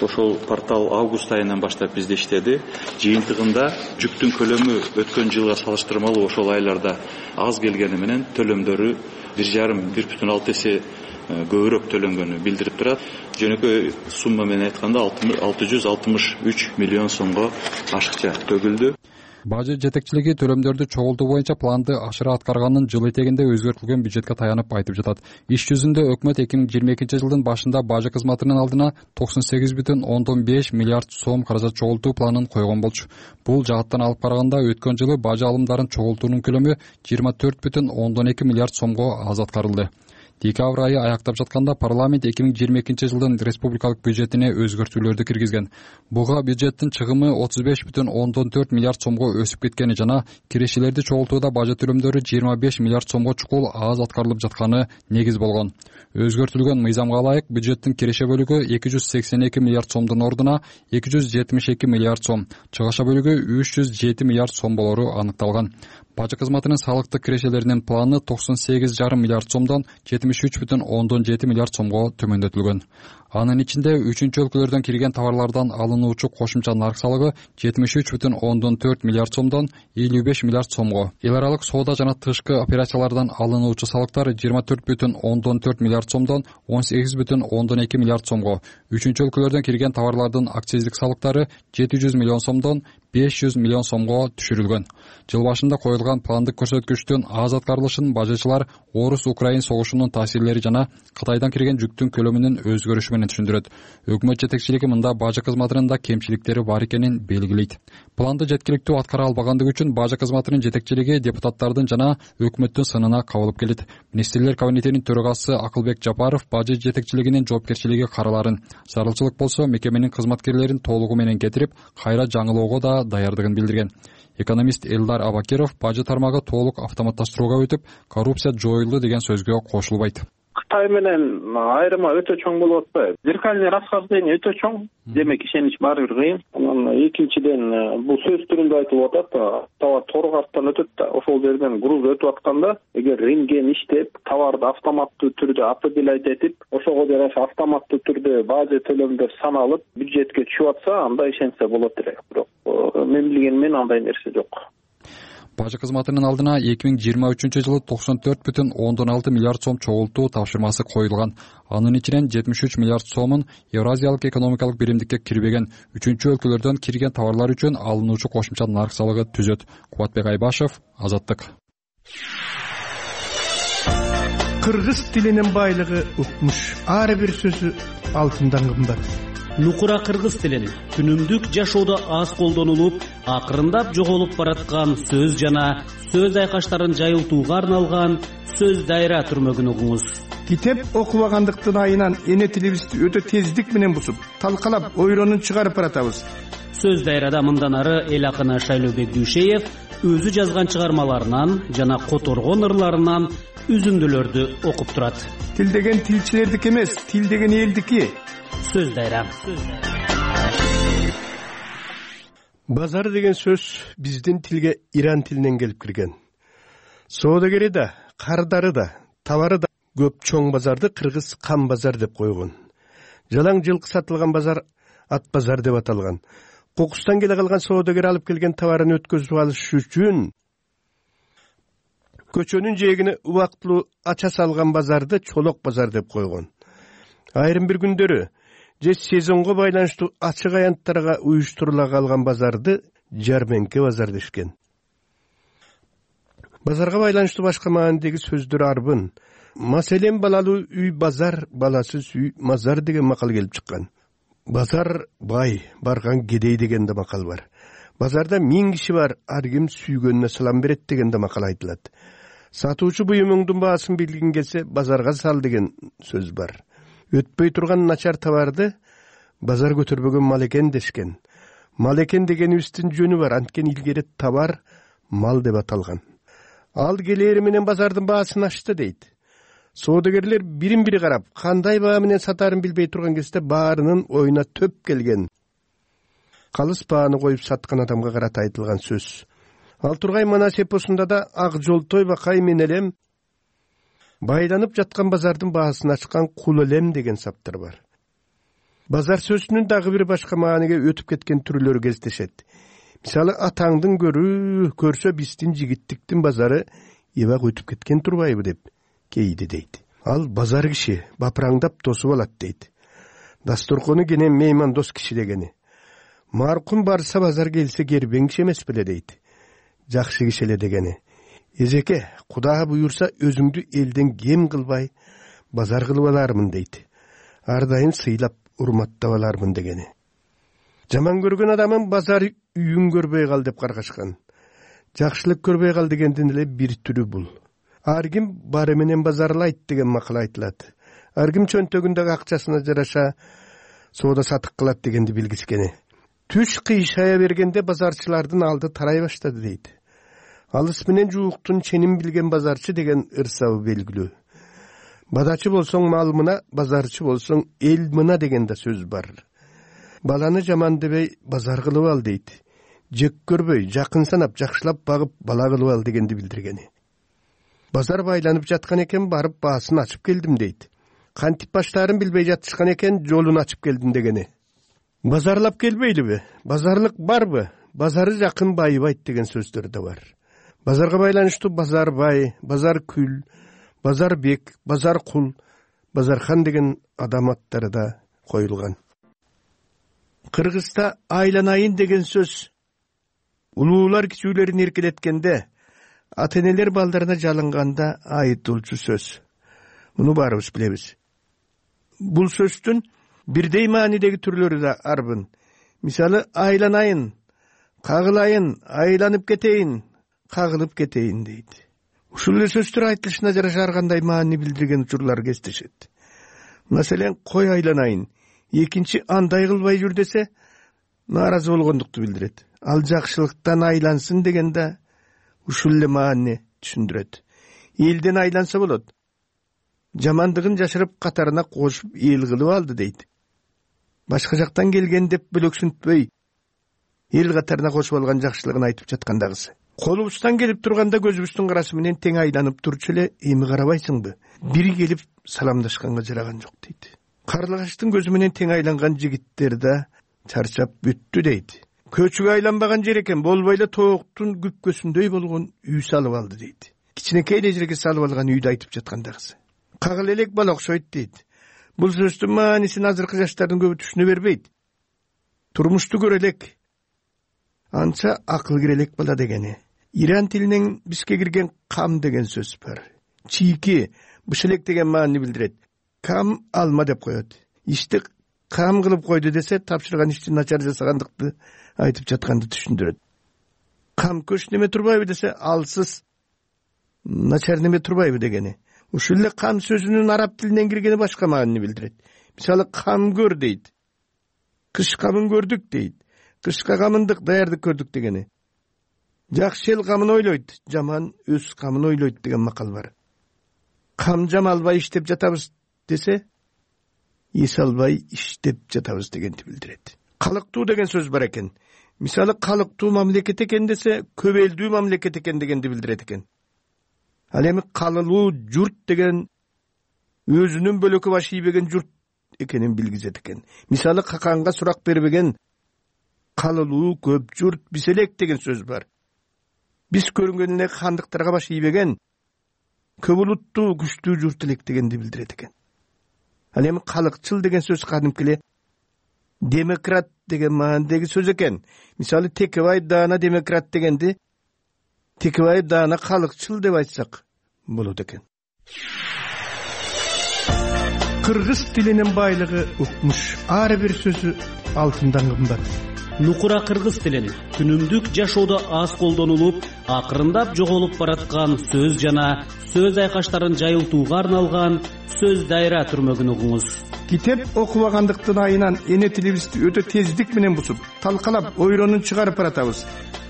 Ошол портал август айынан баштап бизде иштеди. Жыйынтыгында жүктүн көлөмү өткөн жылга салыштырмалуу ошол айларда аз келгени менен төлөмдөрү бир жарым бир бүтүн алты эсе көбүрөөк төлөнгөнү билдирип турат. Жөнөкөй сумма менен айтканда алты жүз алтымыш үч миллион сомго ашыкча төгүлдү. Бажы жетекчилиги төлөмдөрдү чогултуу боюнча планды ашыра аткарганын жыл этегинде өзгөртүлгөн бюджетке таянып айтып жатат. Иш жүзүндө өкмөт эки миң жыйырма экинчи жылдын башында бажы кызматынын алдына токсон сегиз бүтүн ондон беш миллиард сом каражат чогултуу планын койгон болчу. Бул жааттан алып караганда өткөн жылы бажы алымдарын чогултуунун көлөмү жыйырма төрт бүтүн ондон эки миллиард сомго аз аткарылды. Декабрь айы аяктап жатканда парламент эки миң жыйырма экинчи жылдын республикалык бюджетине өзгөртүүлөрдү киргизген. Буга бюджеттин чыгымы отуз беш бүтүн ондон төрт миллиард сомго өсүп кеткени жана кирешелерди чогултууда бажы төлөмдөрү жыйырма беш миллиард сомго чукул аз аткарылып жатканы негиз болгон. Өзгөртүлгөн мыйзамга ылайык бюджеттин киреше бөлүгү эки жүз сексен эки миллиард сомдун ордуна эки жүз жетимиш эки миллиард сом, чыгаша бөлүгү үч жүз жети миллиард сом болору аныкталган. Бажы кызматынын салыктык кирешелеринин планы токсон сегиз жарым миллиард сомдон жетимиш үч бүтүн ондон жети миллиард сомго төмөндөтүлгөн. Анын ичинде үчүнчү өлкөлөрдөн кирген товарлардан алынуучу кошумча нарк салыгы жетимиш үч бүтүн ондон төрт миллиард сомдон элүү беш миллиард сомго, эл аралык соода жана тышкы операциялардан алынуучу салыктар жыйырма төрт бүтүн ондон төрт миллиард сомдон он сегиз бүтүн ондон эки миллиард сомго, үчүнчү өлкөлөрдөн кирген товарлардын акциздик салыктары жети жүз миллион сомдон беш жүз миллион сомго түшүрүлгөн. Жыл башында коюлган пландык көрсөткүчтүн аз аткарылышын бажычылар Орус-Украин согушунун таасирлери жана Кытайдан кирген жүктүн көлөмүнүн өзгөрүшү менен түшүндүрөт. Өкмөт жетекчилиги мында бажы кызматынын да кемчиликтери бар экенин белгилейт. Планды жеткиликтүү аткара албагандыгы үчүн бажы кызматынын жетекчилиги депутаттардын жана өкмөттүн сынына кабылып келет. Министрлер кабинетинин төрагасы Акылбек Жапаров бажы жетекчилигинин жоопкерчилиги караларын, зарылчылык болсо мекеменин кызматкерлерин толугу менен кетирип, кайра жаңылоого да даярдыгын билдирген. Экономист Элдар Абакиров бажы тармагы толук автоматташтырууга өтүп, коррупция жоюлду деген сөзгө кошулбайт. Кытай менен айырма өтө чоң болуп атпайбы? Зеркальный расхождение өтө чоң. Демек ишенич баары бир кыйын. Анан экинчиден бул сөз түрүндө айтылып атат, товар тор карттан өтөт да, ошол жерден груз өтүп атканда, эгер рентген иштеп, товарды автоматтуу түрдө определять этип, ошого жараша автоматтуу түрдө бажы төлөмдөр саналып, бюджетке түшүп атса, анда ишенсе болот эле. Бирок мен билгенмен андай нерсе жок. Бажы кызматынын алдына эки миң жыйырма үчүнчү жылы токсон төрт бүтүн ондон алты миллиард сом чогултуу тапшырмасы коюлган. Анын ичинен жетимиш үч миллиард сомун Евразиялык экономикалык биримдикке кирбеген үчүнчү өлкөлөрдөн кирген товарлар үчүн алынуучу кошумча нарк салыгы түзөт. Кубатбек Айбашев, Азаттык. Кыргыз тилинин байлыгы укмуш. Ар бир сөзү алтындан кымбат. Нукура кыргыз тилин күнүмдүк жашоодо аз колдонулуп, акырындап жоголуп бараткан сөз жана сөз айкаштарын жайылтууга арналган сөз дайра түрмөгүн угуңуз. Китеп окубагандыктын айынан эне тилибизди өтө тездик менен бусуп, талкалап, ойронун чыгарып баратабыз. Сөз дайрада мындан ары эл акыны Шайлообек Дүйшеев өзү жазган чыгармаларынан жана которгон ырларынан үзүндүлөрдү окуп турат. Тил деген тилчилердики эмес, тил деген элдики. Сөз дайра. Базар деген сөз биздин тилге иран тилинен келип кирген. Соодагери да, кардары да, товары да көп чоң базарды кыргыз кам базар деп койгон. Жалаң жылкы сатылган базар ат базар деп аталган. Кокустан келе калган соодагер алып келген товарын өткөзүп алыш үчүн көчөнүн жээгине убактылуу ача салган базарды чолок базар деп койгон. Айрым бир күндөрү же сезонго байланыштуу ачык аянттарга уюштурула калган базарды жарменке базар дешкен. Базарга байланыштуу башка маанидеги сөздөр арбын. Маселен балалуу үй базар, баласыз үй мазар деген макал келип чыккан. Базар бай, барган кедей деген да макал бар. Базарда миң киши бар, ар ким сүйгөнүнө салам берет деген да макал айтылат. Сатуучу буюмуңдун баасын билгин келсе, базарга сал деген сөз бар. Өтпөй турган начар товарды базар көтөрбөгөн мал экен дешкен. Мал экен дегенибиздин жөнү бар, анткени илгери товар мал деп аталган. Ал келери менен базардын баасын ачты дейт. Соодагерлер бирин-бири карап, кандай баа менен сатарын билбей турган кезде баарынын оюна төп келген. Калыс бааны коюп саткан адамга карата айтылган сөз. Ал тургай Манас эпосунда да ак жолтой бакай мен элем байланып жаткан базардын баасын ачкан кул элем деген саптар бар. Базар сөзүнүн дагы бир башка мааниге өтүп кеткен түрлөрү кездешет. Мисалы, атаңдын көрү көрсө биздин жигиттиктин базары эбак өтүп кеткен турбайбы деп. кейди дейт. Ал базар киши бапыраңдап тосуп алат дейт. Дасторкону кенен мейман дос киши дегени. Маркум барса базар келсе кербең киши эмес беле дейт. Жакшы киши эле дегени. Эжеке, Куда буюрса өзүңдү элден кем кылбай базар кылып алармын дейт. Ар дайым сыйлап урматтап алармын дегени. Жаман көргөн адамын базар үйүн көрбөй кал деп каргашкан. Жакшылык көрбөй кал дегендин эле бир түрү бул. Ар ким бары менен базарлайт деген макал айтылат. Ар ким чөнтөгүндөгү акчасына жараша соода сатык кылат дегенди билгичкени. Түш кыйшая бергенде базарчылардын алды тарай баштады дейт. Алыс менен жууктун ченин билген базарчы деген ырсабы белгилүү. Бадачы болсоң мал мына, базарчы болсоң эл мына деген да сөз бар. Баланы жаман дебей базар кылып ал дейт. Жек көрбөй, жакын санап, жакшылап багып бала кылып ал дегенди билдиргени. Базар байланып жаткан экен, барып баасын ачып келдим дейт. Кантип баштаарын билбей жатышкан экен, жолун ачып келдим дегени. Базарлап келбейлиби? Базарлык барбы? Базары жакын байыбайт деген сөздөр да бар. Базарга байланыштуу базар бай, базар күл, базар бек, базар кул, базархан деген адам аттары да коюлган. Кыргызда айланайын деген сөз улуулар кичүүлөрүн эркелеткенде, ата-энелер балдарына жалынганда айтылчу сөз. Муну баарыбыз билебиз. Бул сөздүн бирдей маанидеги түрлөрү да арбын. Мисалы, айланайын, кагылайын, айланып кетейин, кагылып кетейин дейт. Ушул эле сөздөр айтылышына жараша ар кандай маани билдирген учурлар кездешет. Маселен, кой айланайын, экинчи андай кылбай жүр десе, нааразы болгондукту билдирет. Ал жакшылыктан айлансын деген да ушул эле маани түшүндүрөт. Элден айланса болот. Жамандыгын жашырып катарына кошуп эл кылып алды дейт. Башка жактан келген деп бөлөксүнтпөй, эл катарына кошуп алган жакшылыгын айтып жаткандагысы. Колубуздан келип турганда көзүбүздүн карасы менен тең айланып турчу эле, эми карабайсыңбы? Бири келип саламдашканга жараган жок дейт. Карлыгачтын көзү менен тең айланган жигиттер да чарчап бүттү дейт. Көчүгө айланбаган жер экен, болбой эле тооктун күпкөсүндөй болгон үй салып алды дейт. Кичинекей эле жерге салып алган үйдү айтып жаткандагысы. Кагыл элек бала окшойт дейт. Бул сөздүн маанисин азыркы жаштардын көбү түшүнө бербейт. Турмушту көрө элек, анча акыл кире элек бала дегени. Иран тилинен бизге кирген кам деген сөз бар. Чийки, бышелек деген маани билдирет. Кам алма деп коет. Ишти кам кылып койду десе, тапшырган ишти начар жасагандыкты айтып жатканды түшүндүрөт. Кам көч неме турбайбы десе, алсыз начар неме турбайбы дегени. Ушул эле кам сөзүнүн араб тилинен киргени башка маанини билдирет. Мисалы, кам көр дейт. Кыш камын көрдүк дейт. Кышка камындык даярдык көрдүк дегени. Жакшы эл камын ойлойт, жаман өз камын ойлойт деген макал бар. Кам жамалбай иштеп жатабыз десе, эс албай иштеп жатабыз дегенди билдирет. Калыктуу деген сөз бар экен. Мисалы, калыктуу мамлекет экен десе, көп элдүү мамлекет экен дегенди билдирет экен. Ал эми калылуу журт деген өзүнүн бөлөкү баш ийбеген журт экенин билгизет экен. Мисалы, каканга сурак бербеген калылуу көп журт биз элек деген сөз бар. Биз көрүнгөн эле хандыктарга баш ийбеген көп улуттуу күчтүү журт элек дегенди билдирет экен. Ал эми калыкчыл деген сөз кадимки эле демократ деген маанидеги сөз экен. Мисалы, Текебай даана демократ дегенди Текебай даана калыкчыл деп айтсак болот экен. Кыргыз тилинин байлыгы укмуш. Ар бир сөзү алтындан кымбат. Нукура кыргыз тилин күнүмдүк жашоодо аз колдонулуп, акырындап жоголуп бараткан сөз жана сөз айкаштарын жайылтууга арналган сөз дайра түрмөгүн угуңуз. Китеп окубагандыктын айынан эне тилибизди өтө тездик менен бусуп, талкалап, ойронун чыгарып баратабыз.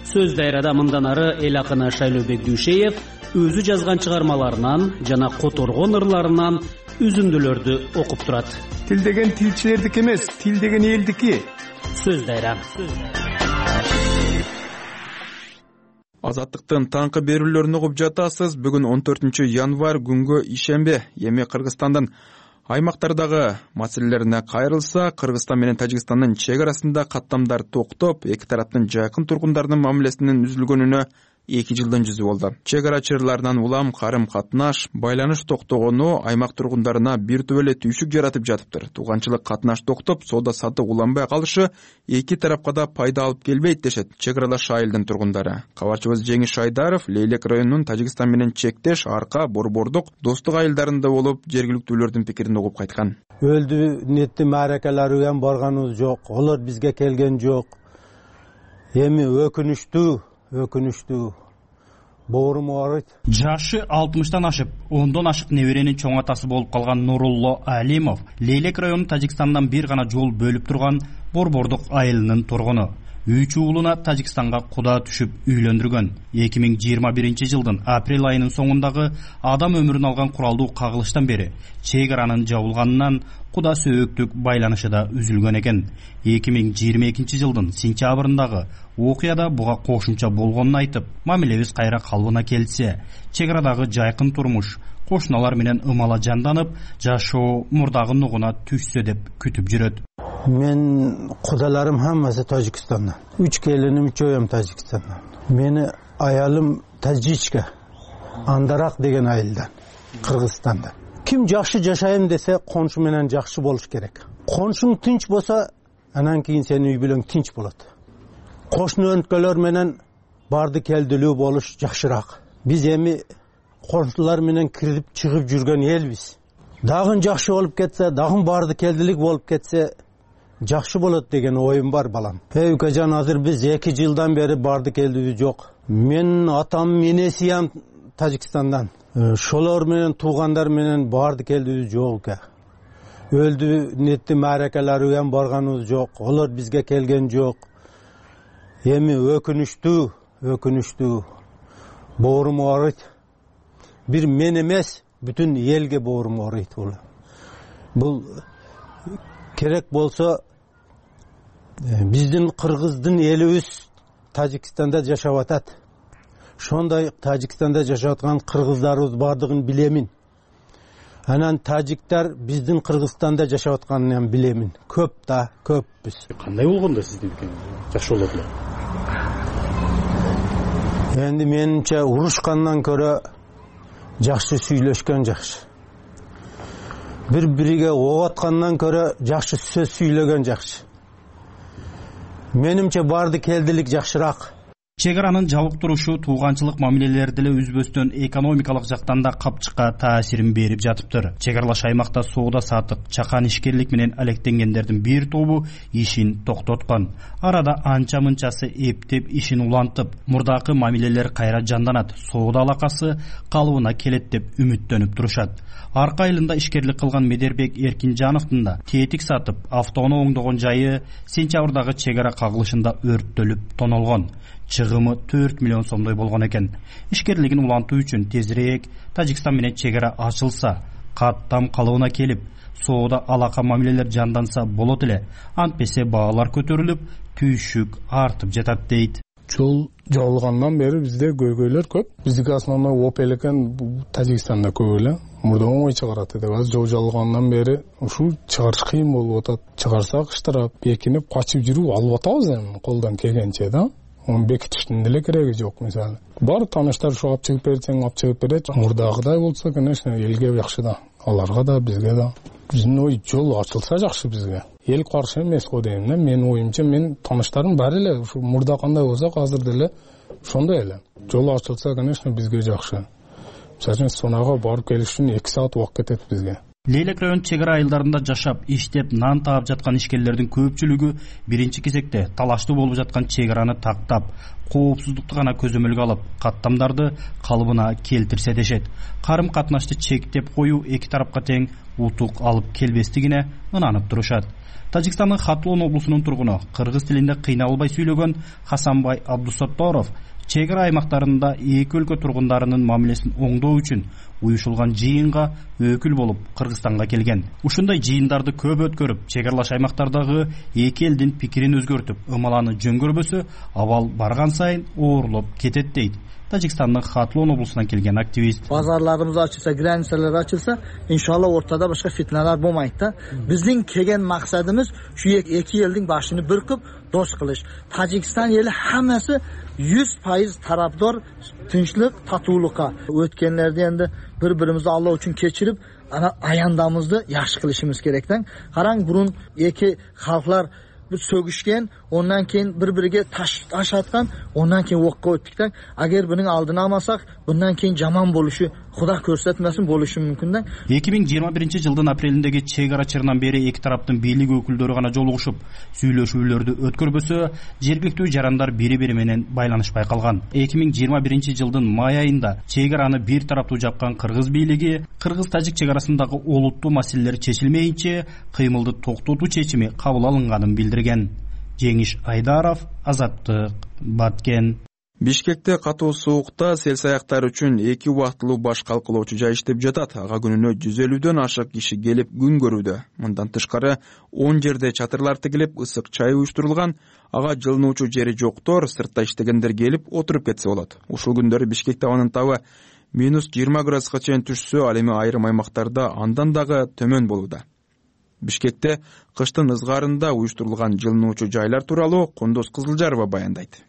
Сөз дайрада мындан ары эл акыны Шайлообек Дүйшеев өзү жазган чыгармаларынан жана которгон ырларынан үзүндүлөрдү окуп турат. Тил деген тилчилердики эмес, тил деген элдики. Сөз дайра. Азаттыктын таңкы берүүлөрүн угуп жатасыз. Бүгүн он төртүнчү январь күнгө ишембе. Эми Кыргызстандын аймактардагы маселелерине кайрылса, Кыргызстан менен Тажикстандын чек арасында каттамдар токтоп, эки тараптын жакын тургундарынын мамилесинин үзүлгөнүнө эки жылдын жүзү болду. Чек ара чырларынан улам карым катнаш, байланыш токтогону аймак тургундарына бир топ эле түйшүк жаратып жатыптыр. Тууганчылык катнаш токтоп, соода саттык уланбай калышы эки тарапка да пайда алып келбейт дешет чек аралаш айылдын тургундары. Кабарчыбыз Жеңиш Шайдаров Лейлек районунун Тажикстан менен чектеш Арка, Борбордук, Достук айылдарында болуп, жергиликтүүлөрдүн пикирин угуп кайткан. Өлдү нетти мааракаларга барганыбыз жок, олар бизге келген жок. Эми өкүнүчтүү, өкүнүчтүү. Боорум ооруйт. Жашы алтымыштан ашып, ондон ашык неберенин чоң атасы болуп калган Нурулло Алимов Лейлек районунун Тажикстандан бир гана жол бөлүп турган Борбордук айылынын тургуну. Үч уулуна Тажикстанга куда түшүп үйлөндүргөн. эки миң жыйырма биринчи жылдын апрель айынын соңундагы адам өмүрүн алган куралдуу кагылыштан бери чек аранын жабылганынан куда сөөктүк байланышы да үзүлгөн экен. эки миң жыйырма экинчи жылдын сентябрындагы окуяда буга кошумча болгонун айтып, мамилебиз кайра калыбына келсе, чек арадагы жайкын турмуш кошуналар менен ымала жанданып, жашоо мурдагы нугуна түшсө деп күтүп жүрөт. Мен кудаларым хаммасы Тажикстандан. Үч келиним, үчөөм Тажикстандан. Мени аялым Тажичка, Андарак деген айылдан, Кыргызстандан. Ким жакшы жашайм десе, коншу менен жакшы болуш керек. Коншуң тынч болсо, анан кийин сенин үй бүлөң тынч болот. Кошуну өнткөлөр менен барды келдилүү болуш жакшыраак. Биз эми коншулар менен кирип чыгып жүргөн элбиз. Дагы жакшы болуп кетсе, дагы барды келдилик болуп кетсе, жакшы болот деген оюм бар балам. Эй укажан, азыр биз эки жылдан бери барды келдибиз жок. Мен атам, энесиям Тажикстандан. Шолор менен туугандар менен барды келдибиз жок. Өлдү нетти мааракаларга барганыбыз жок. Олар бизге келген жок. Эми өкүнүчтүү, өкүнүчтүү. Боорум ооруйт. Бир мен эмес, бүтүн элге боорум ооруйт бул. Бул керек болсо биздин кыргыздын элибиз Тажикстанда жашап атат. Шондой Тажикстанда жашап аткан кыргыздарыбыз бардыгын билемин. Анан тажиктар биздин Кыргызстанда жашап атканын билемин. Көп да, көпбүз. Кандай болгондо сиздин пикириңиз жакшы болот эле? Энди менимче урушкандан көрө жакшы сүйлөшкөн жакшы. Бири-бириге ок аткандан көрө жакшы сөз сүйлөгөн жакшы. Менимче барды келдилик жакшыраак. Чек аранын жабык турушу тууганчылык мамилелерди эле үзбөстөн экономикалык жактан да капчыкка таасирин берип жатыптыр. Чек аралаш аймакта соода саттык, чакан ишкерлик менен алектенгендердин бир тобу ишин токтоткон. Арада анча мынчасы эптеп ишин улантып, мурдакы мамилелер кайра жанданат, соода алакасы калыбына келет деп үмүттөнүп турушат. Арка айылында ишкерлик кылган Медербек Эркинжановдун да тетик сатып, автоону оңдогон жайы сентябрдагы чек ара кагылышында өрттөлүп тонолгон. Чыгымы төрт миллион сомдой болгон экен. Ишкерлигин улантуу үчүн тезирээк Тажикстан менен чек ара ачылса, каттам калыбына келип, соода алака мамилелер жанданса болот эле. Антпесе баалар көтөрүлүп, түйшүк артып жатат дейт. Жол жабылгандан бери бизде көйгөйлөр көп. Биздики основной оп элекен Тажикстанда көп эле. Мурда оңой чыгарат эди. Азыр жол жабылгандан бери ушул чыгарыш кыйын болуп атат. Чыгарсак штраф, бекинип качып жүрүп алып атабыз эми колдон келгенче да. Onu bekitiştin деле кереги жок мисалы. Бар тааныштар ушу алып чыгып берсең, алып чыгып берет. Мурдагыдай болсо, конечно, элге жакшы да. Аларга да, бизге да. Биздин ой жол ачылса жакшы бизге. Эл каршы эмес го дейм да. Менин оюмча, мен тааныштарым бар эле. Ушу мурда кандай болсо, азыр деле ошондой эле. Жол ачылса, конечно, бизге жакшы. Мисалы, сонага барып келиш үчүн эки саат убакыт кетет бизге. Лейлек район чек ара айылдарында жашап, иштеп, нан таап жаткан ишкерлердин көпчүлүгү биринчи кезекте талаштуу болуп жаткан чек араны тактап, коопсуздукту гана көзөмөлгө алып, каттамдарды калыбына келтирсе дешет. Карым катнашты чектеп коюу эки тарапка тең утук алып келбестигине ынанып турушат. Тажикстандын Хатлон облусунун тургуну, кыргыз тилинде кыйналбай сүйлөгөн Хасанбай Абдусатторов чек ара аймактарында эки өлкө тургундарынын мамилесин оңдоо үчүн уюшулган жыйынга өкүл болуп Кыргызстанга келген. Ушундай жыйындарды көп өткөрүп, чек аралаш аймактардагы эки элдин пикирин өзгөртүп, ымаланы жөнгөрбөсө, абал барган сайын оорлоп кетет дейт Тажикстандын Хатлон облусунан келген активист. Базарларыбыз ачылса, границалар ачылса, иншалла ортада башка фитналар болмайт да. Биздин келген максатыбыз ушу эки элдин башын бүркүп, дос кылыш. Тажикстан эли хаммасы жүз пайыз пайыз тараптор тынчтык, татуулукка. Өткөнлөрдө энди бири-бирибизди Алла үчүн кечирип, ана аяндамызды жакшы кылышыбыз керек да. Караң, бурун эки халклар bir sөгүшкен, ondan keyin bir-biriga taş taş atgan, ondan keyin o'qqa o'tdik da. Agar buning oldini olmasak, bundan keyin жаман болушу, Xudo ko'rsatmasin, bo'lishi mumkin da. эки миң жыйырма биринчи жылдын апрелиндеги чек ара чырынан бери эки тараптын бийлик өкүлдөрү гана жолугушуп, сүйлөшүүлөрдү өткөрбөсө, жергиликтүү жарандар бири-бири менен байланышпай калган. эки миң жыйырма биринчи жылдын май айында чек араны бир тараптуу жапкан кыргыз бийлиги кыргыз-тажик чек арасындагы олуттуу маселелер чечилмейинче кыймылды токтотуу чечими кабыл алынганын билдирген. Жеңиш Айдаров, Азаттык, Баткен. Бишкекте катуу суукта сел саяктар үчүн эки убактылуу баш калкылоочу жай иштеп жатат. Ага күнүнө жүз элүүдөн ашык киши келип күн көрүүдө. Мындан тышкары он жерде чатырлар тигилип, ысык чай уюштурулган. Ага жылынуучу жери жоктор, сыртта иштегендер келип отуруп кетсе болот. Ушул күндөрү Бишкекте абанын табы минус жыйырма градуска чейин түшсө, ал эми айрым аймактарда андан дагы төмөн болууда. Бишкекте кыштын ызгаарында уюштурулган жылынуучу жайлар тууралуу Кундуз Кызылжарова баяндайт.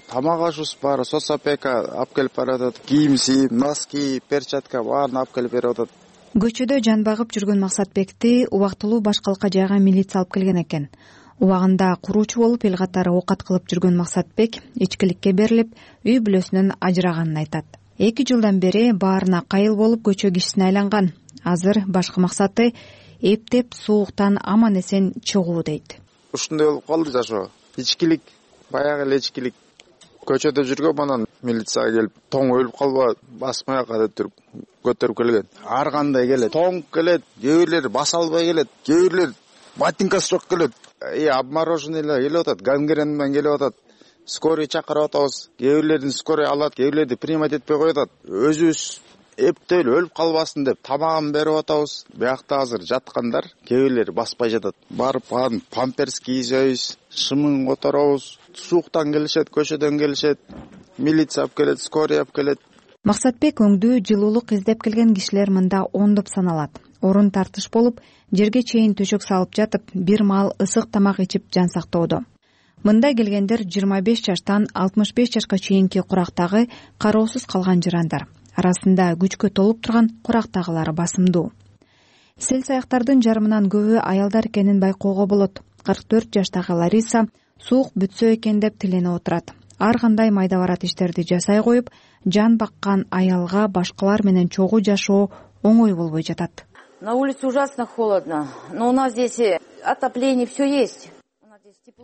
Тамак ашуубуз баары соцопека алып келип баратат. Кийимси, носки, перчатка баарын алып келип берип атат. Көчөдө жан багып жүргөн Максатбекти убактылуу башкалка жайга милиция алып келген экен. Убагында куруучу болуп эл катары оокат кылып жүргөн Максатбек ичкиликке берилип, үй бүлөсүнөн ажыраганын айтат. эки жылдан бери баарына кайыл болуп көчө кишисине айланган. Азыр башкы максаты эптеп сууктан аман эсен чыгуу дейт. Ушундай болуп калды жашоо. Ичкилик, баягы эле ичкилик. Көчөдө жүргөн анан милицияга келип, тоң өлүп калба, басмай кадеттирип көтөрүп келген. Ар кандай келет. Тоң келет, кээ бирлери баса албай келет, кээ бирлери ботинкасы жок келет. Э, обмороженныйлар келип атат, гангрен менен келип атат. Скорый чакырып атабыз. Кээ бирлерин скорый алат, кээ бирлерди примат этпей коюп атат. Өзүбүз эптеп өлүп калбасын деп тамагын берип атабыз. Биякта азыр жаткандар, кээ бирлери баспай жатат. Барып памперс кийизебиз, шымын которобуз. Сууктан келишет, көчөдөн келишет, милиция алып келет, скорый алып келет. Максатбек өңдүү жылуулук издеп келген кишилер мында ондоп саналат. Орун тартыш болуп, жерге чейин төшөк салып жатып, бир маал ысык тамак ичип жан сактоодо. Мында келгендер жыйырма беш жаштан алтымыш беш жашка чейинки курактагы кароосуз калган жарандар. Арасында күчкө толуп турган курактагылары басымдуу. Сел саяктардын жарымынан көбү аялдар экенин байкоого болот. кырк төрт жаштагы Лариса суук бүтсө экен деп тиленип отурат. Ар кандай майда барат иштерди жасай коюп, жан баккан аялга башкалар менен чогуу жашоо оңой болбой жатат. На улице ужасно холодно, но у нас здесь отопление все есть.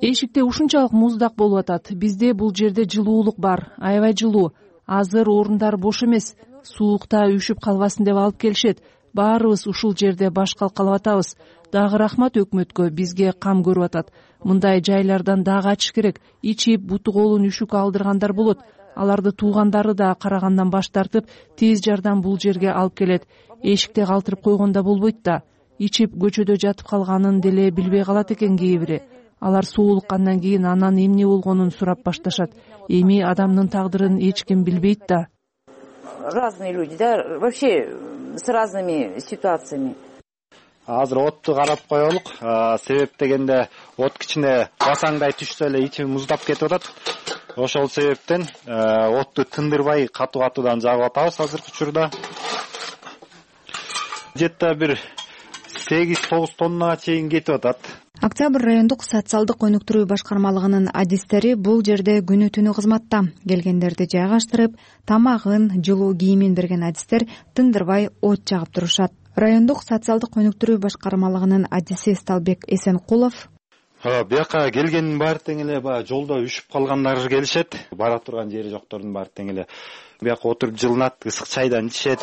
Эшикте ушунчалык муздак болуп атат. Бизде бул жерде жылуулук бар, аябай жылуу. Азыр орундар бош эмес. Суукта үшүп калбасын деп алып келишет. Баарыбыз ушул жерде баш калкалап атабыз. Дагы рахмат өкмөткө, бизге кам көрүп атат. Мындай жайлардан дагы ачыш керек. Ичип буту колун үшүк алдыргандар болот. Аларды туугандары да карагандан баш тартып, тез жардам бул жерге алып келет. Эшикте калтырып койгондо болбойт да. Ичип көчөдө жатып калганын деле билбей калат экен кээ бири. Алар суулуккандан кийин анан эмне болгонун сурап башташат. Эми адамдын тагдырын эч ким билбейт да. Разные люди, да, вообще с разными ситуациями. Азыр отту карап коелук. Себеп дегенде от кичине басаңдай түшсө эле ичи муздап кетип атат. Ошол себептен отту тындырбай катуу катуудан жагып атабыз азыркы учурда. Жетта бир сегиз тогуз тоннага чейин кетип атат. Октябрь райондук социалдык өнүктүрүү башкармалыгынын адистери бул жерде күнү түнү кызматта. Келгендерди жайгаштырып, тамагын, жылуу кийимин берген адистер тындырбай от жагып турушат. Райондук социалдык өнүктүрүү башкармалыгынын адиси Сталбек Эсенкулов: Бияка келгендин баары тең эле баягы жолдо үшүп калгандар келишет. Бара турган жери жоктордун баары тең эле бияка отуруп жылынат, ысык чайдан ичишет.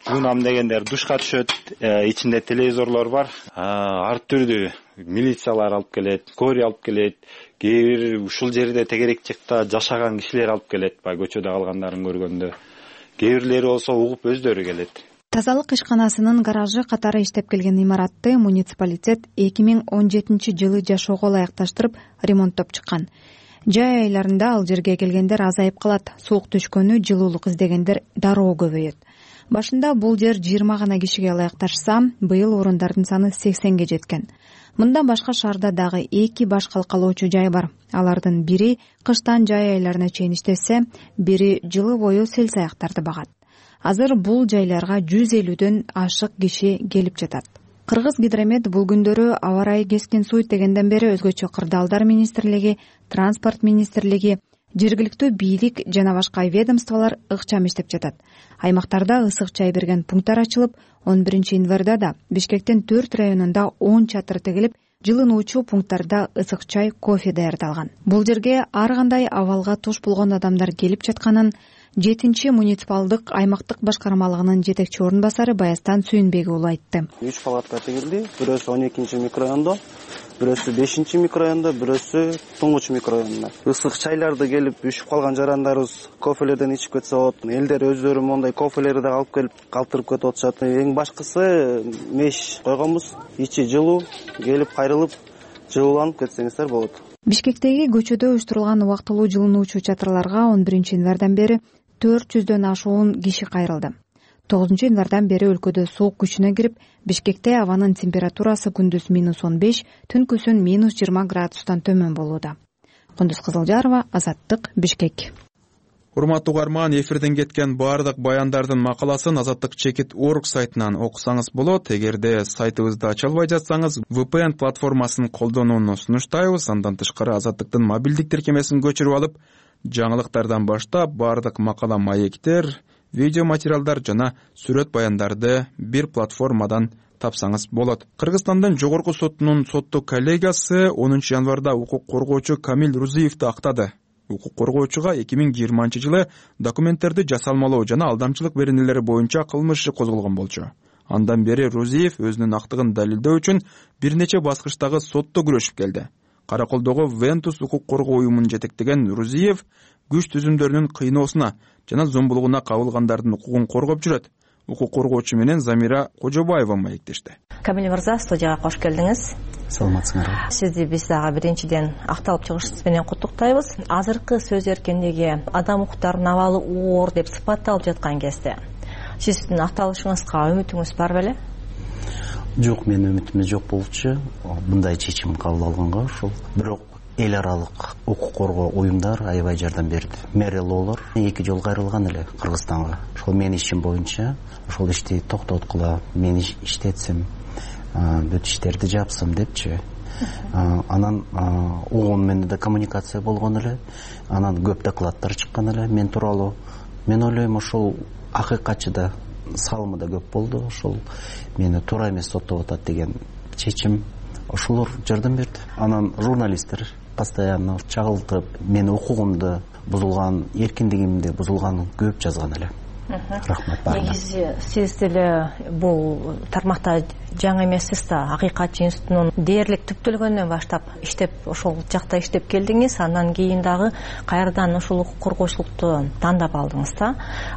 Жуунам дегендер душка түшөт, ичинде телевизорлор бар. Ар түрдүү милициялар алып келет, скорый алып келет. Кээ бир ушул жерде тегерекчикта жашаган кишилер алып келет, баягы көчөдө калгандарын көргөндө. Кээ бирлери болсо угуп өздөрү келет. Тазалык ишканасынын гаражы катары иштеп келген имаратты муниципалитет эки миң он жетинчи жылы жашоого ылайыкташтырып ремонттоп чыккан. Жай айларында ал жерге келгендер азайып калат. Суук түшкөнү, жылуулук издегендер дароо көбөйөт. Башында бул жер жыйырма гана кишиге ылайыкташса, быйыл орундардын саны сексенге жеткен. Мындан башка шаарда дагы эки баш калкалоочу жай бар. Алардын бири кыштан жай айларына чейин иштесе, бири жылы бою сел-саяктарды багат. Азыр бул жайларга жүз элүүдөн ашык киши келип жатат. Кыргыз Гидромет бул күндөрү аба ырайы кескин суйт дегенден бери өзгөчө кырдаалдар министрлиги, транспорт министрлиги, жергиликтүү бийлик жана башка ведомстволор ыкчам иштеп жатат. Аймактарда ысык чай берген пункттар ачылып, он биринчи январда да Бишкектин төрт районунда он чатыр тигилип, жылынуучу пункттарда ысык чай, кофе даярдалган. Бул жерге ар кандай абалга туш болгон адамдар келип жатканын жетинчи муниципалдык аймактык башкармалыгынын жетекчи орун басары Баястан Сүйүнбек уулу айтты. үч палатка тигилди. Бирөөсү он экинчи микрорайондо, бирөөсү бешинчи микрорайондо, бирөөсү тоңгуч микрорайондо. Ысык чайларды келип үшүп калган жарандарыбыз кофелерден ичип кетсе болот. Элдер өздөрү мондай кофелерди да алып келип калтырып кетип атышат. Эң башкысы меш койгонбуз. Ичи жылуу, келип кайрылып жылууланып кетсеңиздер болот. Бишкектеги көчөдө уюштурулган убактылуу жылынуучу чатырларга он биринчи январдан бери төрт жүздөн ашуун киши кайрылды. тогузунчу январдан бери өлкөдө суук күчүнө кирип, Бишкекте абанын температурасы күндүз минус он беш, түнкүсүн минус жыйырма градустан төмөн болууда. Кундуз Кызылжарова, Азаттык, Бишкек. Урматтуу угарман, эфирден кеткен баардык баяндардын макаласын Азаттык чекит точка орг сайтынан окусаңыз болот. Эгерде сайтыбызды ача албай жатсаңыз, ви пи эн платформасын колдонууну сунуштайбыз. Андан тышкары Азаттыктын мобилдик тиркемесин көчүрүп алып, жаңылыктардан баштап баардык макала маектер, видео материалдар жана сүрөт баяндарды бир платформадан тапсаңыз болот. Кыргызстандын жогорку сотунун соттуу коллегиясы онунчу январда укук коргоочу Камил Рузиевди актады. Укук коргоочуга эки миң жыйырманчы жылы документтерди жасалмалоо жана алдамчылык беренелери боюнча кылмыш иши козголгон болчу. Андан бери Рузиев өзүнүн актыгын далилдөө үчүн бир нече баскычтагы сотто күрөшүп келди. Караколдогу Вентус укук коргоо уюмун жетектеген Рузиев күч түзүмдөрүнүн кыйноосуна жана зомбулугуна кабылгандардын укугун коргоп жүрөт. Укук коргоочу менен Замира Кожобаева маектешти. Камил мырза, студияга кош келдиңиз. Саламатсыңарбы? Сизди биз дагы биринчиден акталып чыгышыңыз менен куттуктайбыз. Азыркы сөз эркиндиги адам укуктарынын абалы оор деп сыпатталып жаткан кезде сиздин акталышыңызга үмүтүңүз бар беле? Жок, менин үмүтүм жок болчу. Мындай чечим кабыл алганга ошол. Бирок эл аралык укук коргоо уюмдар аябай жардам берди. Мэрилоолор эки жолу кайрылган эле Кыргызстанга. Ошол менин ишим боюнча ошол ишти токтоткула, мен иштетсем, бүт иштерди жапсам депчи. Анан оон менен да коммуникация болгон эле. Анан көп докладдар чыккан эле мен тууралуу. Мен ойлойм, ошол акыйкатчыда салымы да көп болду. Ошол мени туура эмес соттоп атат деген чечим ошолор жардам берди. Анан журналисттер постоянно чагылтып, менин укугумду бузулган, эркиндигимди бузулганын көп жазган эле. Рахмат баарына. Негизи сиз деле бул тармакта жаңы эмессиз да, Акыйкатчы институтунун дээрлик түптөлгөндөн баштап иштеп, ошол жакта иштеп келдиңиз. Андан кийин дагы кайрадан ошол укук коргоочулукту тандап алдыңыз да.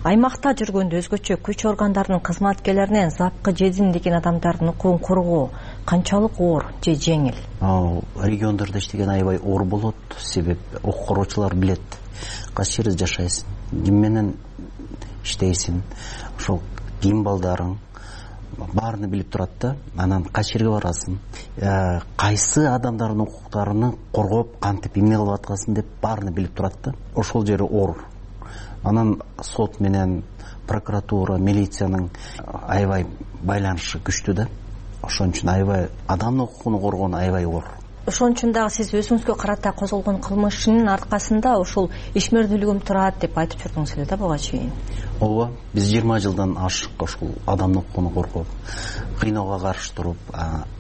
Аймакта жүргөндө өзгөчө күч органдарынын кызматкерлеринен запкы жедин деген адамдардын укугун коргоо канчалык оор же жеңил? Ал региондордо иштеген аябай оор болот. Себеп укук коргоочулар билет кайсы жерде жашайсың, ким менен иштейсиң, ошол ким балдарың баарын билип турат да. Анан кайсы жерге барасың, кайсы адамдардын укуктарын коргоп, кантип эмне кылып аткансың деп баарын билип турат да. Ошол жери оор. Анан сот менен прокуратура, милициянын аябай байланышы күчтүү да. Ошон үчүн аябай адамдын укугун коргоон аябай оор. Ошон үчүн дагы сиз өзүңүзгө карата козголгон кылмыштын аркасында ошол ишмердүүлүгүм турат деп айтып жүрдүңүз эле да буга чейин. Ооба, биз жыйырма жылдан ашык ошол адамдын укугун коргоп, кыйноого каршы туруп,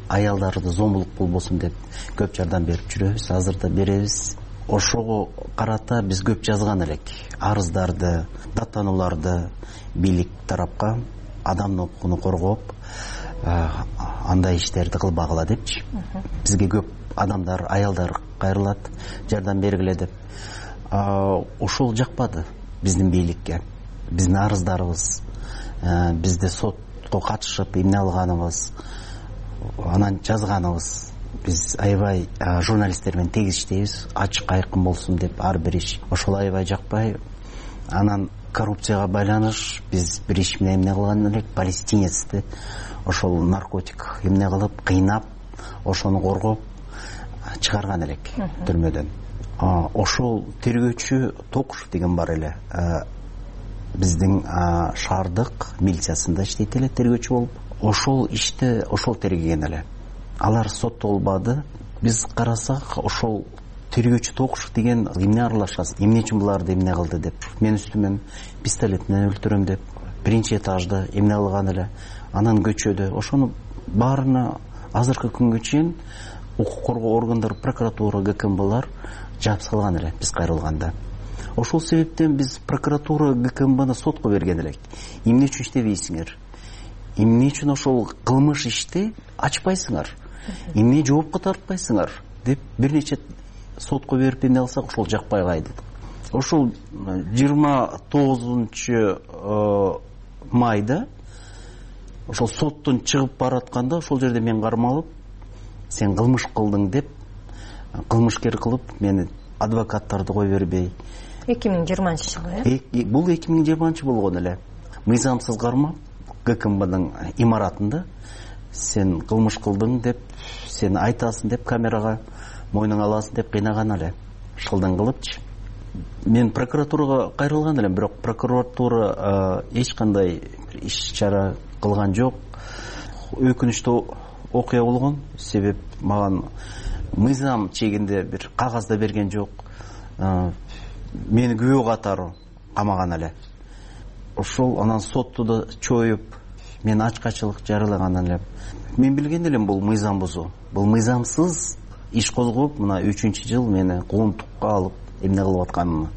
аялдарды зомбулук болбосун деп көп жардам берип жүрөбүз, азыр да беребиз. Ошого карата биз көп жазган элек. Арыздарды, даттанууларды бийлик тарапка адамдын укугун коргоп, андай иштерди кылбагыла депчи. Бизге көп адамдар, аялдар кайрылат, жардам бергиле деп. Ошол жакпады биздин бийликке. Биздин арыздарыбыз, бизди сотко катышып эмне алганыбыз, анан жазганыбыз. Биз аябай журналисттер менен тегиз иштейбиз, ачык айкын болсун деп ар бир иш. Ошол аябай жакпай. Анан коррупцияга байланыш биз бир иш менен эмне кылган элек, палестинецти ошол наркотик эмне кылып, кыйнап, ошону коргоп чыгарган элек түрмөдөн. Ошол тергөөчү Токушев деген бар эле, биздин шаардык милициясында иштейт эле тергөөчү болуп. Ошол ишти ошол тергеген эле. Алар соттолбады. Биз карасак, ошол тергөөчү Токушев деген эмне аралашасыз, эмне үчүн буларды эмне кылды деп, мен үстүмөн пистолет менен өлтүрөм деп, биринчи этажда эмне кылган эле, анан көчөдө. Ошону баарына азыркы күнгө чейин укук коргоо органдары, прокуратура, ГКМБлар жаап салган эле биз кайрылганда. Ошол себептен биз прокуратура, ГКМБны сотко берген элек. Эмне үчүн иштебейсиңер? Эмне үчүн ошол кылмыш ишти ачпайсыңар? Эмне жоопко тартпайсыңар деп бир нече сотко берип эмне алсак, ошол жакпай кайдык. Ошол жыйырма тогузунчу майда ошол соттон чыгып баратканда ошол жерде мен кармалып, сен кылмыш кылдың деп, кылмышкер кылып мени адвокаттарды кой бербей. эки миң жыйырманчы жылы, э? Бул эки миң жыйырманчы болгон эле. Мыйзамсыз кармап ГКМБдын имаратында сен кылмыш кылдың деп, сен айтасың деп, камерага мойнуңа аласың деп кыйнаган эле. Шылдың кылыпчы. Мен прокуратурага кайрылган элем, бирок прокуратура эч кандай иш чара кылган жок. Өкүнүчтүү окуя болгон, себеп маган мыйзам чегинде бир кагаз да берген жок. Мени күбө катары камаган эле. Ошол анан сотту да чоюп, мен ачкачылык жарылаган элем. Мен билген элем бул мыйзам бузуу. Бул мыйзамсыз иш козгоп, мына үчүнчү жыл мени куугунтукка алып эмне кылып атканымды.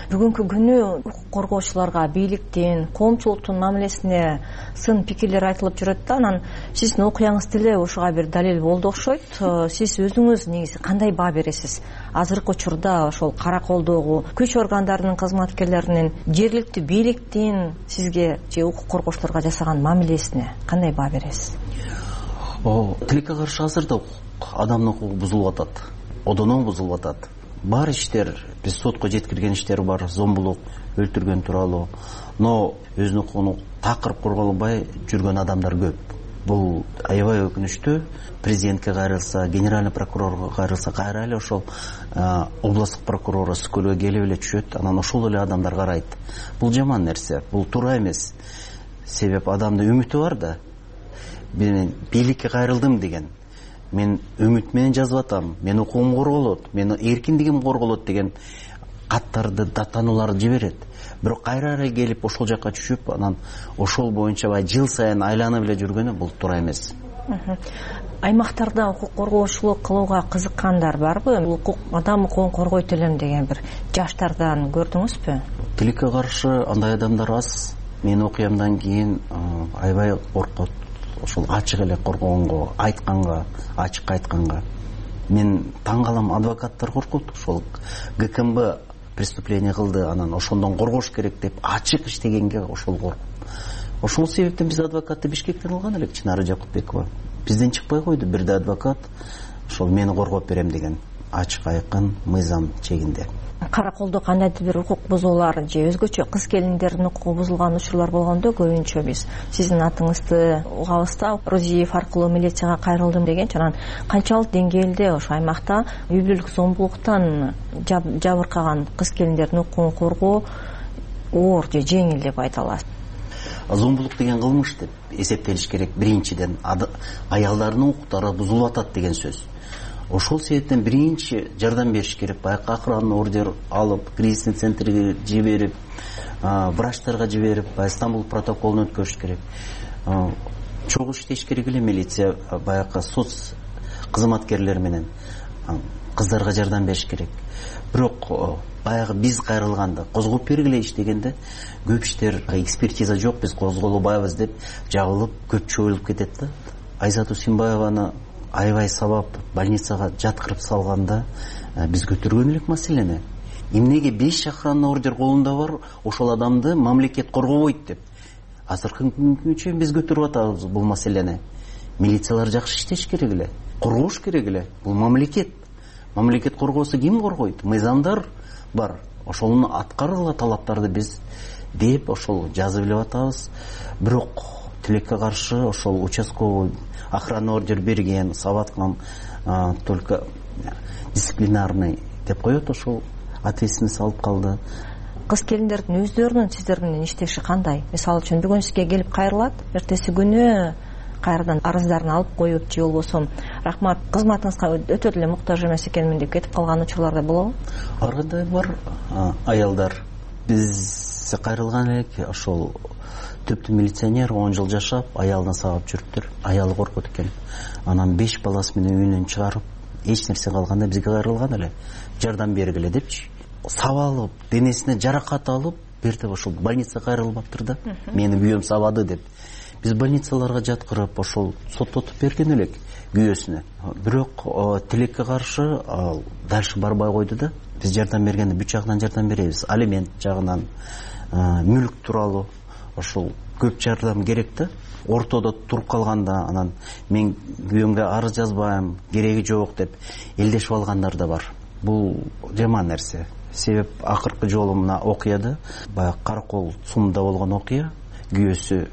Бүгүнкү күнү укук коргоочуларга, бийликтин, коомчулуктун мамилесине сын пикирлер айтылып жүрөт да, анан сиздин окуяңыз деле ошого бир далил болду окшойт. Сиз өзүңүз негизи кандай баа бересиз? Азыркы учурда ошол кара колдогу күч органдарынын кызматкерлеринин, жергиликтүү бийликтин сизге же укук коргоочуларга жасаган мамилесине кандай баа бересиз? Тилекке каршы азырда адамдын укугу бузулуп атат, одоно бузулуп атат. Бар иштер, биз сотко жеткирген иштер бар, зомбулук, өлтүргөн тууралуу. Но өзүнүн укугун такырып корголбой жүргөн адамдар көп. Бул аябай өкүнүчтүү. Президентке кайрылса, генеральный прокурорго кайрылса, кайра эле ошол областтык прокурор өскөлгө келип эле түшөт, анан ошол эле адамдар карайт. Бул жаман нерсе, бул туура эмес. Себеп адамдын үмүтү бар да. Мен бийликке кайрылдым деген, мен үмүт менен жазып атам, мен укугум корголот, менин эркиндигим корголот деген каттарды, даттанууларды жиберет. Бирок кайра эле келип ошол жакка түшүп, анан ошол боюнча бай жыл сайын айланып эле жүргөнү бул туура эмес. Аймактарда укук коргоочулук кылууга кызыккандар барбы? Укук, адам укугун коргойт элем деген бир жаштардан көрдүңүзбү? Тилекке каршы андай адамдар аз. Мен окуямдан кийин аябай коркот. Ошол ачык эле коргогонго, айтканга, ачык айтканга. Мен таң калам, адвокаттар коркот. Ошол ГКМБ преступление кылды, анан ошондон коргош керек деп ачык иштегенге ошол коркуп. Ошол себептен биз адвокатты Бишкектен алган элек, Чынары Жакупбекова. Бизден чыкпай койду бирде адвокат, ошол мени коргоп берем деген, ачык айкын мыйзам чегинде. Кара колдо кандайдыр бир укук бузуулар же өзгөчө кыз келиндердин укугу бузулган учурлар болгондо көбүнчө биз сиздин атыңызды угабыз да, Рузиев аркылуу милицияга кайрылдым деген. Анан канчалык деңгээлде ошо аймакта үй бүлөлүк зомбулуктан жабыркаган кыз келиндердин укугун коргоо оор же жеңил деп айта аласыз? Зомбулук деген кылмыш деп эсептелиш керек. Биринчиден аялдардын укуктары бузулуп атат деген сөз. Ошол себептен биринчи жардам бериш керек. Баякы охранный ордер алып, кризисный центрге жиберип, врачтарга жиберип, Стамбул протоколун өткөрүш керек. Чогуу иштеш керек эле милиция, баякы соц кызматкерлер менен кыздарга жардам бериш керек. Бирок баягы биз кайрылганда, козгоп бергиле иштегенде көп иштер экспертиза жок, биз козголбайбыз деп жагылып, көп чоюлуп кетет да. Айзат Усимбаеваны аябай сабап больницага жаткырып салганда биз көтөргөн элек маселени. Эмнеге беш охранный ордер колунда бар, ошол адамды мамлекет коргобойт деп. Азыркы күнгө чейин биз көтөрүп атабыз бул маселени. Милициялар жакшы иштеш керек эле, коргош керек эле. Бул мамлекет. Мамлекет коргосо ким коргойт? Мыйзамдар бар. Ошону аткаргыла талаптарды биз деп ошол жазып эле атабыз. Бирок тилекке каршы ошол участковый охранный ордер берген, сабаткан, только дисциплинарный деп коет, ошол ответственность алып калды. Кыз келиндердин өздөрүнүн сиздер менен иштеши кандай? Мисалы үчүн бүгүн сизге келип кайрылат, эртеси күнү кайрадан арыздарын алып коюп же болбосо рахмат кызматыңызга өтө эле муктаж эмес экенмин деп кетип калган учурлар да болобу? Ар кандай бар аялдар. Биз кайрылган элек ошол түптү милиционер он жыл жашап, аялына сабап жүрүптүр. Аялы коркот экен. Анан беш баласы менен үйүнөн чыгарып, эч нерсе калганда бизге кайрылган эле. Жардам бергиле депчи. Сабалып, денесине жаракат алып, бертип ошол больницага кайрылбаптыр да. Мени күйөөм сабады деп. Биз больницаларга жаткырып, ошол соттотуп берген элек күйөөсүнө. Бирок тилекке каршы дальше барбай койду да. Биз жардам бергенде бүт жагынан жардам беребиз. Алимент жагынан, мүлк тууралуу ошол көп жардам керек да. Ортодо туруп калганда анан мен күйөөмгө арыз жазбайм, кереги жок деп элдешип алгандар да бар. Бул жаман нерсе. Себеп акыркы жолу мына окуяда, баягы Каракол сумда болгон окуя, күйөөсү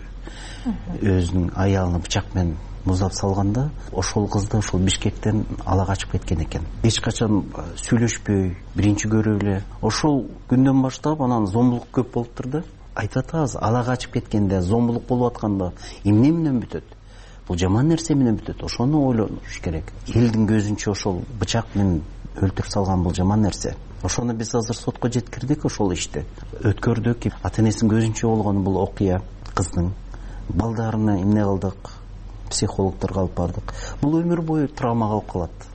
өзүнүн аялын бычак менен муздап салганда, ошол кызды ошол Бишкектен ала качып кеткен экен. Эч качан сүйлөшпөй, биринчи көрүп эле. Ошол күндөн баштап анан зомбулук көп болуптур да. Айтып атабыз, ала качып кеткенде, зомбулук болуп атканда эмне менен бүтөт? Бул жаман нерсе менен бүтөт. Ошону ойлонуш керек. Элдин көзүнчө ошол бычак менен өлтүрүп салган бул жаман нерсе. Ошону биз азыр сотко жеткирдик ошол ишти. Өткөрдүк. Ата энесинин көзүнчө болгон бул окуя кыздын. Балдарына эмне кылдык? Психологторго алып бардык. Бул өмүр бою травма калып калат.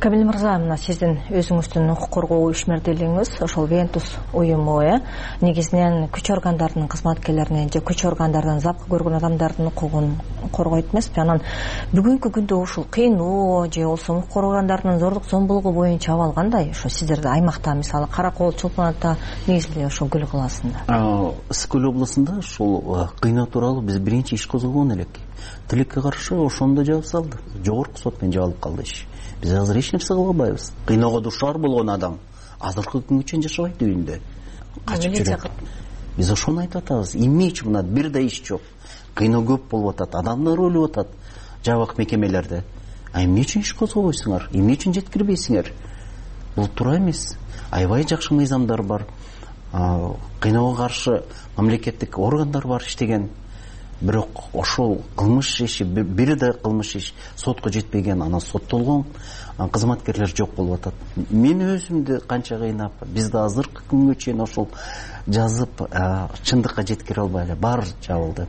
Камил мырза, мына сиздин өзүңүздүн укук коргоо ишмердүүлүгүңүз ошол Вентус уюму э негизинен күч органдарынын кызматкерлеринин же күч органдарынан запкы көргөн адамдардын укугун коргойт эмеспи? Анан бүгүнкү күндө ушул кыйноо же болбосо укук органдарынын зордук зомбулугу боюнча абал кандай? Ошо сиздерде аймакта, мисалы Каракол, Чолпон Ата, негизинен ошол Көл калаасында. Ысык көл областында ушул кыйноо тууралуу биз биринчи иш козгогон элек. Тилекке каршы ошондо жаап салды. Жогорку сот менен жабылып калды иш. Биз азыр эч нерсе кыла албайбыз. Кыйноого дуушар болгон адам азыркы күнгө чейин жашабайт үйүндө. Качып жүрөт. Биз ошону айтып атабыз. Эмне үчүн мына бир да иш жок. Кыйноо көп болуп атат, адамдар өлүп атат жабык мекемелерде. А эмне үчүн иш козгобойсуңар? Эмне үчүн жеткирбейсиңер? Бул туура эмес. Аябай жакшы мыйзамдар бар. Кыйноого каршы мамлекеттик органдар бар иштеген. Бирок ошол кылмыш иши, бир да кылмыш иш сотко жетпеген, анан соттолгон кызматкерлер жок болуп атат. Мен өзүмдү канча кыйнап, биз да азыркы күнгө чейин ошол жазып чындыкка жеткире албай эле баары жабылды.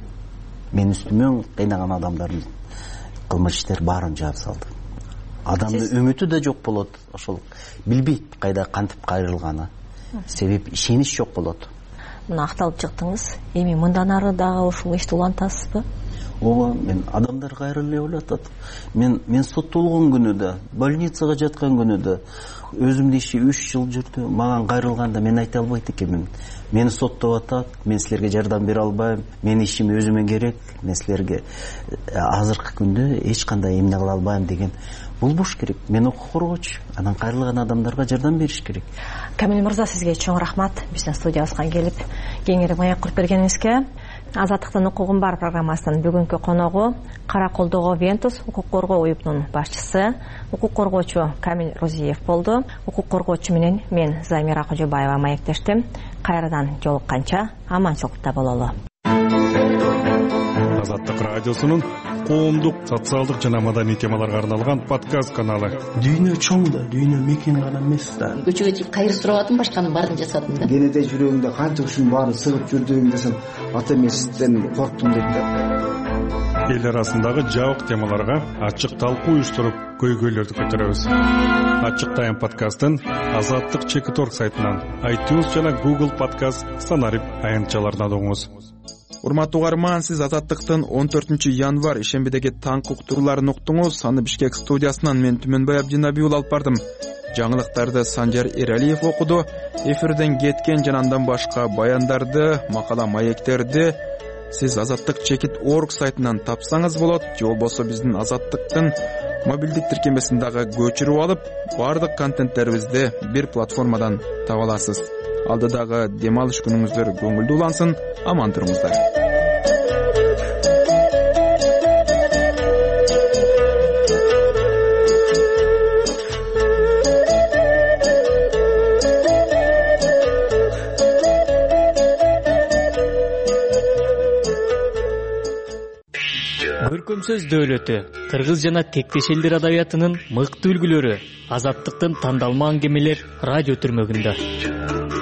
Мен үстүмөн кыйнаган адамдардын кылмыш иштер баарын жаап салды. Адамдын үмүтү да жок болот, ошол билбейт кайда кантип кайрылганы. Себеп ишенич жок болот. Мына акталып чыктыңыз. Эми мындан ары дагы ушул ишти улантасызбы? Ооба, мен адамдар кайрылып эле ойлоп атат. Мен мен соттолгон күнү да, больницага жаткан күнү да, өзүмдүн иши үч жыл жүрдү. Мага кайрылганда мен айта албайт экенмин. Мени соттоп атат, мен силерге жардам бере албайм. Менин ишим өзүмө керек. Мен силерге азыркы күндө эч кандай эмне кыла албайм деген болбош керек. Мен укук коргоочу, анан кайрылган адамдарга жардам бериш керек. Камил мырза, сизге чоң рахмат биздин студиябызга келип кеңири маек куруп бергениңизге. Азаттыктын укугум бар программасынын бүгүнкү коногу Караколдогу Вентус укук коргоо уюмунун башчысы, укук коргоочу Камил Розиев болду. Укук коргоочу менен мен Замира Кожобаева маектештим. Кайрадан жолукканча аманчылыкта бололу. Азаттык радиосунун коомдук, социалдык жана маданий темаларга арналган подкаст каналы. Дүйнө чоң да, дүйнө мекен гана эмес да. Көчөгө чыгып кайыр сурабадым, башканын баарын жасадым да. Кенеде жүрөгүңдө канча ушунун баары сыгып жүрдүгүң десем, ата эмесизден корктум дейт да. Эл арасындагы жабык темаларга ачык талкуу уюштуруп, көйгөйлөрдү көтөрөбүз. Ачык тайм подкастын Азаттык чекит точка орг сайтынан, iTunes жана Google подкаст стандарт аянтчаларынан угуңуз. Урматтуу угарман, сиз Азаттыктын он төртүнчү январь ишембидеги таңкы уктурууларын уктуңуз. Аны Бишкек студиясынан мен Түмөнбай Абдинабиул алып бардым. Жаңылыктарды Санжар Эралиев окуду. Эфирден кеткен жана андан башка баяндарды, макала маектерди сиз Азаттык чекит точка орг сайтынан тапсаңыз болот, же болбосо биздин Азаттыктын мобилдик тиркемесин дагы көчүрүп алып, бардык контенттерибизди бир платформадан таба аласыз. Алдыдагы дем алыш күнүңүздөр көңүлдүү улансын, аман туруңуздар. көкөмсөз дөөлөтү, кыргыз жана тектеш элдер адабиятынын мыкты үлгүлөрү, Азаттыктын тандалма аңгемелер радио түрмөгүндө.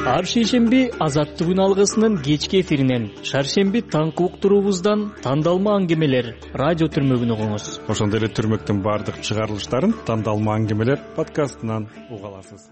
Ар шейшемби Азаттык күн алгысынын кечки эфиринен, шаршемби таңкы уктуруубуздан тандалма аңгемелер радио түрмөгүн угуңуз. Ошондой эле түрмөктүн баардык чыгарылыштарын тандалма аңгемелер подкастынан уга аласыз.